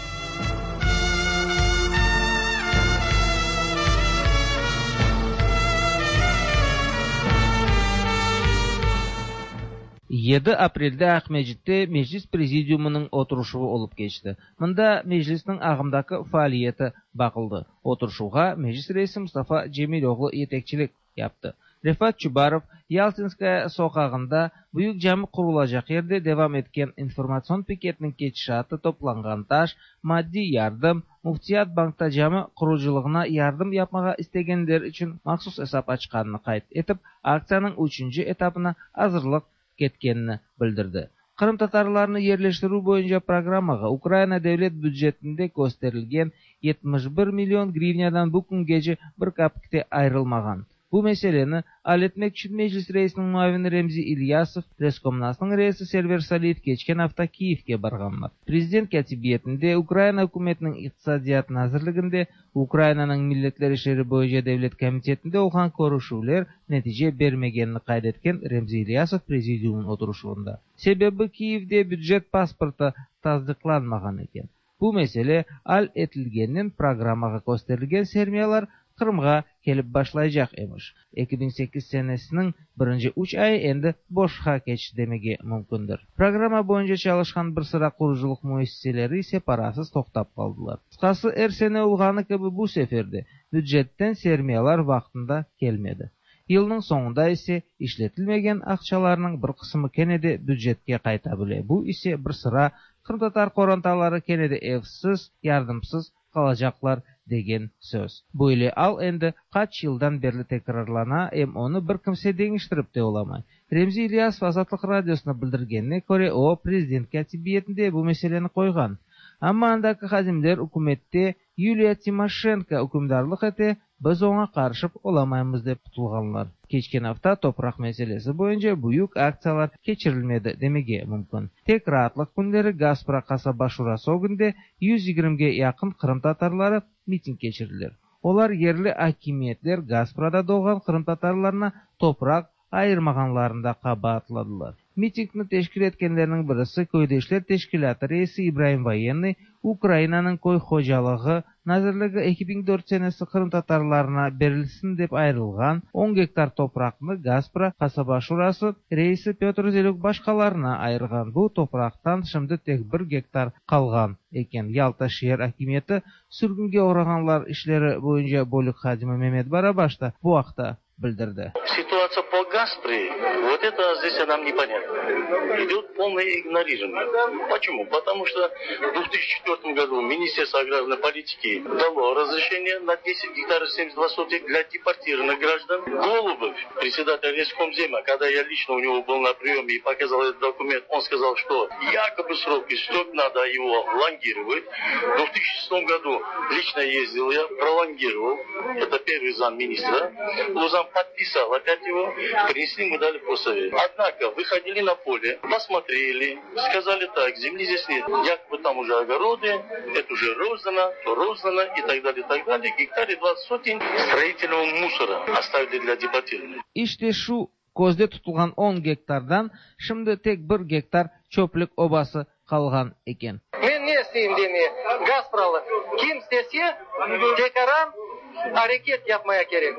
7 aprelde Aqmescitte Meclis Prezidiumınıñ oturışuvı olıp keçti. Mında Meclisniñ ağımdaki faaliyeti baqıldı. Oturışuvğa Meclis reisi Mustafa Cemiloğlu yetekçilik yaptı. Refat Çubarov, Yaltinskaya soqağında Büyük cami qurulacaq yerde devam etken informatsion piketniñ ketişatı toplanğan taş, maddiy yardım, Müftiyat bankta cami qurucılığına yardım yapmağa istegenler içün mahsus esap açqanını qayd etip, aktsiyanıñ üçünci etapına azırlıq ketkenini bildirdi. Qırımtatarlarnı yerleştirüv boyunca programmağa Ukraina devlet bücetinde kösterilgen 71 million grivnâdan bu küngece bir kapik te ayırılmağan. Bu meseleni al etmek içün Meclis reisiniñ muavini Remzi İlyasov, Reskomnasnıñ reisi Server Saliyev keçken afta Kiyevge barğanlar. Prezident Kâtibiyetinde, Ukraina ükümetiniñ İqtisadiyat nazirliginde, Ukrainanıñ milletler işleri boyunca devlet komitetinde olğan körüşüvler netice bermegenini qayd etken Remzi İlyasov prezidiumnıñ oturışuvında. Sebebi, Kiyevde bücet pasportı tasdıqlanmağan eken. Bu mesele al etilgeninen programmağa kösterilgen sermiyalar Qırımğa kelip başlaycaq emiş. 2008 senesiniñ birinci üç ayı endi boşqa keçti demege mümkündir. Programma boyunca çalışqan bir sıra qurucılıq müessiseleri ise parasız toqtap qaldılar. Qısqası, er sene olğanı kibi bu sefer de bücetten sermiyalar vaqtında kelmedi. Yılnıñ soñunda ise işletilmegen aqçalarnıñ bir qısımı kene de bücetke qayta bile, bu ise bir sıra qırımtatar qorantaları kene de evsiz, yardımsız qalacaqlar degen söz. Böyle al endi qaç yıldan berli tekrarlana, em onı bir kimse deñiştirip te olamay. Remzi İlyasov Azatlıq Radiosına bildirgenine köre, o, prezident kâtibiyetinde bu meseleni qoyğan. Amma andaki hadimler ükümette Yuliya Timoşenko ükümdarlıq ete, biz oña qarışıp olamaymız dep qutulğanlar. Keçken afta topraq meselesi boyunca büyük aktsiyalar keçirilmedi demege mümkün. Tek raatlıq künleri Gaspra qasaba şurası ögünde 120-ge yaqın qırımtatarları miting keçirdiler. Olar yerli akimiyetler Gasprada doğğan qırımtatarlarına topraq ayırmağanlarında qabaatladılar. Mitingni teşkil etkenlerniñ birisi Köydeşler teşkilâtı reisi İbraim Voyennıy Ukrainanıñ köy hocalığı nazirligi 2004 senesi qırımtatarlarına berilsin dep ayırılğan on gektar topraqnı Gaspra qasaba şurası reisi Pötr Zelük başqalarına ayırğan. Bu topraqtan şimdi tek bir gektar qalğan eken. Yalta şeer akimiyeti sürgünge oğrağanlar işleri boyunca bölük hadimi Memet Barabaş da bu aqta bildirdi. Ситуация по Гаспре, вот это здесь нам непонятно. Идет полное игнорирование. Почему? Потому что в 2004 году Министерство аграрной политики дало разрешение на 10 гектаров 72 сотых для депортированных граждан. Голубев, председатель Рескомзема, когда я лично у него был на приеме и показал этот документ, он сказал, что якобы срок истек, надо его лонгировать. В 2006 году лично ездил я, пролонгировал. Это первый замминистра. Лузан подписал опять его, принесли, мы дали постсовет. Однако выходили на поле, посмотрели, сказали так, земли здесь нет. Якобы там уже огороды, это уже роздано, то роздано и так далее, и так далее. Гектаре 20 сотен строительного мусора оставили для депортированных. İşte şu közde tutulğan on gektardan şimdi tek bir gektar çöplük obası qalğan eken. Men ne isteyim demeye, Gaspralı, kim istese, tekaran areket yapmaya kerek.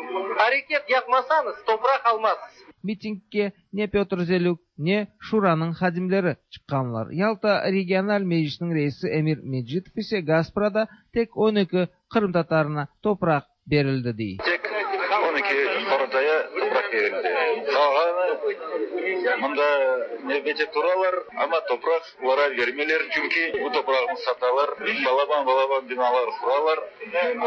Areket yapmasañız, topraq almazsız. Mitingge ne Pötr Zelük, ne Şuranıñ hadimleri çıqqanlar. Yalta regional meclisiniñ reisi Emir Mecitov ise Gasprada tek 12 qırımtatarına topraq berildi, dey. Tek 12 qorantaya topraq berildi. Qalğanı mında nevbette turalar, amma topraq olarğa bermeyler, çünki bu topraqnı satalar, balaban-balaban binalar quralar,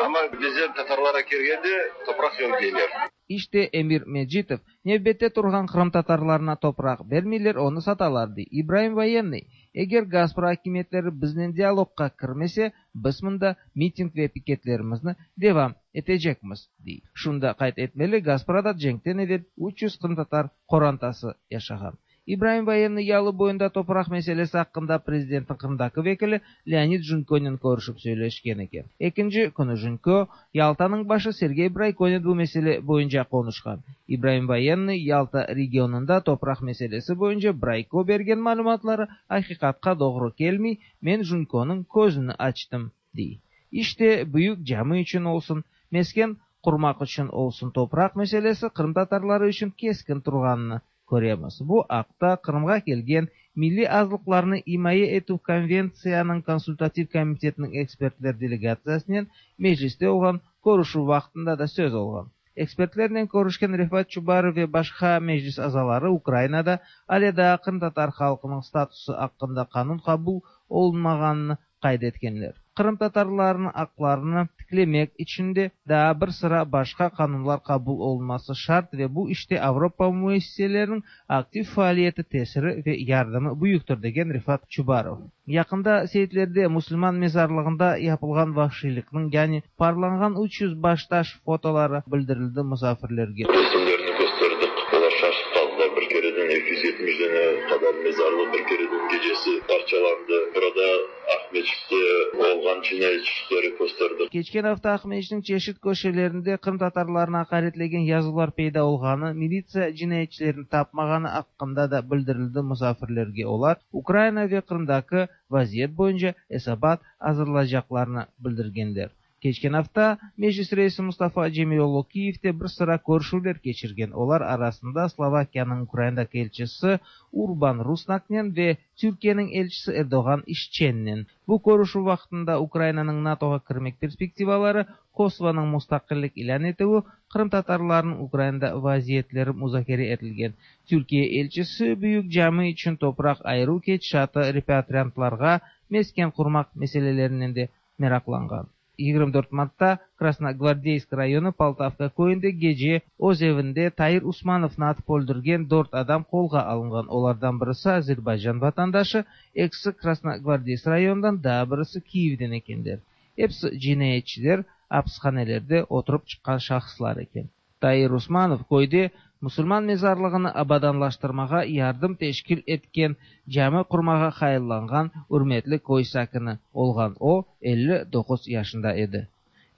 amma bizden tatarlara kelgende topraq yoq deyler. İşte, Emir Mecitov, nevbette turğan qırımtatarlarına topraq bermeyler, onı satalar, dey. İbraim Voyennıy, Eger Gaspra akimiyetleri biznen dialogqa kirmese, biz mında miting ve piketlerimizni devam etecekmiz, dey. Şunı da qayd etmeli, Gasprada cenkten evel 300 qırımtatar qorantası yaşağan. İbraim Voyennıy yalı boyunda topraq meselesi aqqında prezidentniñ Qırımdaki vekili Leonid Junkonen körüşip söyleşken eken. Ekinci künü Junko, Yaltanıñ başı Sergey Braykonen bu mesele boyunca qonuşqan. İbraim Voyennıy Yalta regionında topraq meselesi boyunca Brayko bergen malümatları aqiqatqa doğru kelmey, men Junkonıñ közüni açtım, dey. İşte, büyük cami içün olsun, mesken qurmaq içün olsun topraq meselesi qırımtatarları içün keskin turğanını. köremiz. Bu aqta Qırımğa kelgen Milliy azlıqlarnı imaye etüv konventsiyanıñ konsultativ komitetiniñ ekspertler delegatsiyasınen Mecliste olğan körüşüv vaqtında da söz olğan. Ekspertlernen körüşken Refat Çubarov ve başqa Meclis azaları Ukrainada ale daa qırımtatar halqınıñ statusı aqqında qanun qabul olunmağanını qayd etkenler. Qırımtatarlarnıñ aqlarını tiklemek içün de daa bir sıra başqa qanunlar qabul olunması şart ve bu işte Avropa müessiseleriniñ aktiv faaliyeti tesiri ve yardımı büyüktir, degen Refat Çubarov. Yaqında Seytlerde musulman mezarlığında yapılğan vahşiylikniñ, yani parlanğan 300 baştaş fotoları bildirildi musafirlerge. Resimlerni kösterdik, olar şaşıp qaldılar, bir kereden 270 dane qadar mezarlıq bir kereden gecesi parçalandı. Burada Aqmeçitte olğan cinayetçilikleri kösterdik. Keçken afta Aqmeçitniñ çeşit köşelerinde qırımtatarlarnı aqaretlegen yazılar peyda olğanı, militsiya cinayetçilerni tapmağanı aqqında da bildirildi musafirlerge. Olar Ukraina ve Qırımdaki vaziyet boyunca esabat azırlaycaqlarını bildirgenler. Keçken afta Meclis reisi Mustafa Cemiloğlu Kiyevde bir sıra körüşüvler keçirgen. Olar arasında Slovakiyanıñ Ukrainadaki elçisi Urban Rusnaknen ve Türkiyeniñ elçisi Erdoğan İşçennen. Bu körüşüv vaqtında Ukrainanıñ NATOğa kirmek perspektivaları, Kosovonıñ mustaqillik ilân etüvi, qırımtatarlarnıñ Ukrainada vaziyetleri muzakere etilgen. Türkiye elçisi büyük cami içün topraq ayıruv ketişatı, repatriantlarğa mesken qurmaq meselelerinen de meraqlanğan. 24 martta Krasnogvardeysk rayonı Poltavka köyünde gece öz evinde Tair Usmanovnı atıp öldürgen dört adam qolğa alınğan. Olardan birisi Azerbaycan vatandaşı, ekisi Krasnogvardeysk rayonından, daa birisi Kiyevden ekenler. Episi cinayetçiler, apishanelerde oturıp çıqqan şahıslar eken. Tair Usmanov köyde musulman mezarlığını abadanlaştırmağa yardım teşkil etken, cami qurmağa hayallanğan ürmetli köy sakini olğan. O, 59 yaşında edi.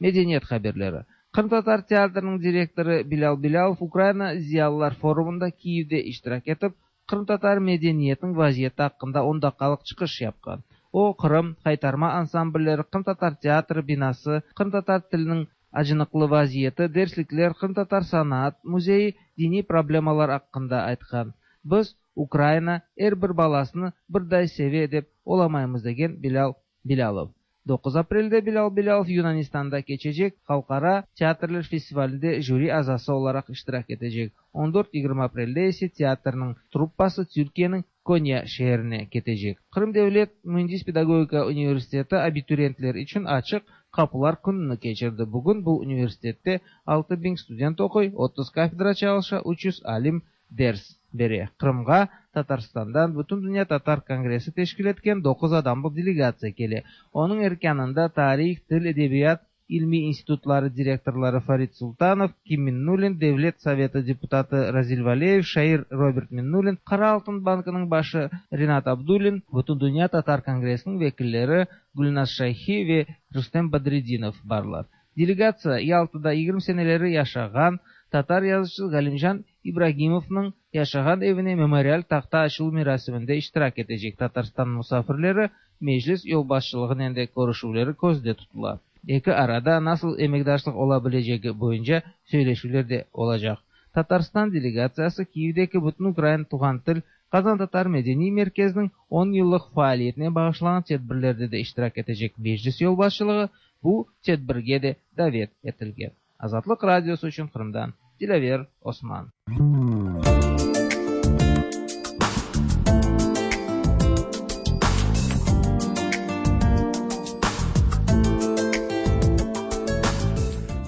Medeniyet haberleri. Qırımtatar teatriniñ direktorı Bilâl Bilâlov Ukraina ziyalılar forumında Kiyevde iştirak etip, qırımtatar medeniyetiniñ vaziyeti aqqında on daqqalıq çıqış yapqan. O, Qırım, Haytarma ansamblleri, qırımtatar teatri binası, qırımtatar tiliniñ acınıqlı vaziyeti, derslikler, qırımtatar sanaat müzeyi, diniy problemalar aqqında aytqan. Biz, Ukraina er bir balasını birday seve dep olamaymız, degen Bilâl Bilâlov. 9 aprelde Bilâl Bilâlov Yunanistanda keçecek Halqara teatrler festivalinde jüri azası olaraq iştirak etecek. On dört-yigirmi aprelde ise teatrniñ truppası Türkiyeniñ Konya şeerine ketecek. Qırım devlet müendis-pedagogika universiteti abituriyentler içün açıq qapılar kününi keçirdi. Bugün bu universitette 6000 student oquy, 30 kafedra çalışa, 300 alim ders bere. Qırımğa Tatarstandan Bütündünya tatar kongressi teşkil etken doquz adamlıq delegatsiya kele. Onıñ erkânında tarih, til, edebiyat ilmiy institutları direktorları Farid Sultanov, Kim Minnulin, Devlet sovetı deputatı Razil Valeyev, şair Robert Minnulin, Qara altın bankınıñ başı Rinat Abdullin, Bütündünya tatar kongressiniñ vekilleri Gülnaz Şayhi ve Rustem Badredinov barlar. Delegatsiya Yaltada 20 seneleri yaşağan tatar yazıcısı Galimcan İbragimovnıñ yaşağan evine memorial tahta açıluv merasiminde iştirak etecek. Tatarstan musafirleri Meclis yolbaşçılığınen de körüşüvleri közde tutula. Eki arada nasıl emekdaşlıq ola bilecegi boyunca söyleşüvler de olacaq. Tatarstan delegatsiyası Kiyevdeki Bütünukrain tuvğan til qazantatar medeniy merkeziniñ on yıllıq faaliyetine bağışlanğan tedbirlerde de iştirak etecek. Meclis yolbaşçılığı bu tedbirge de davet etilgen. Azatlıq Radiosı içün Qırımdan Dilâver Osman.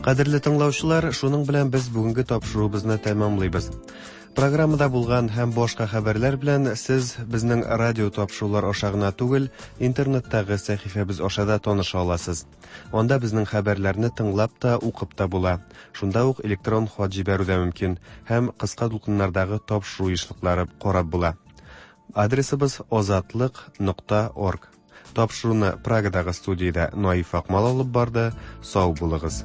Кадерле тыңлаучылар, шуның белән без бүгенге тапшыруыбызны тәмамлыйбыз. Программада булган һәм башка хәбәрләр белән сез безнең радио тапшырулар аша гына түгел, интернеттагы сәхифәбез аша да таныша аласыз. Анда безнең хәбәрләрне тыңлап та, укып та була. Шунда ук электрон хат җибәрү дә мөмкин һәм кыска дулкыннардагы тапшыру ешлыклары карап була. Адресыбыз озатлык.орг. Тапшыруны Прагадагы студиядә Наиф Акмал алып барды. Сау булыгыз.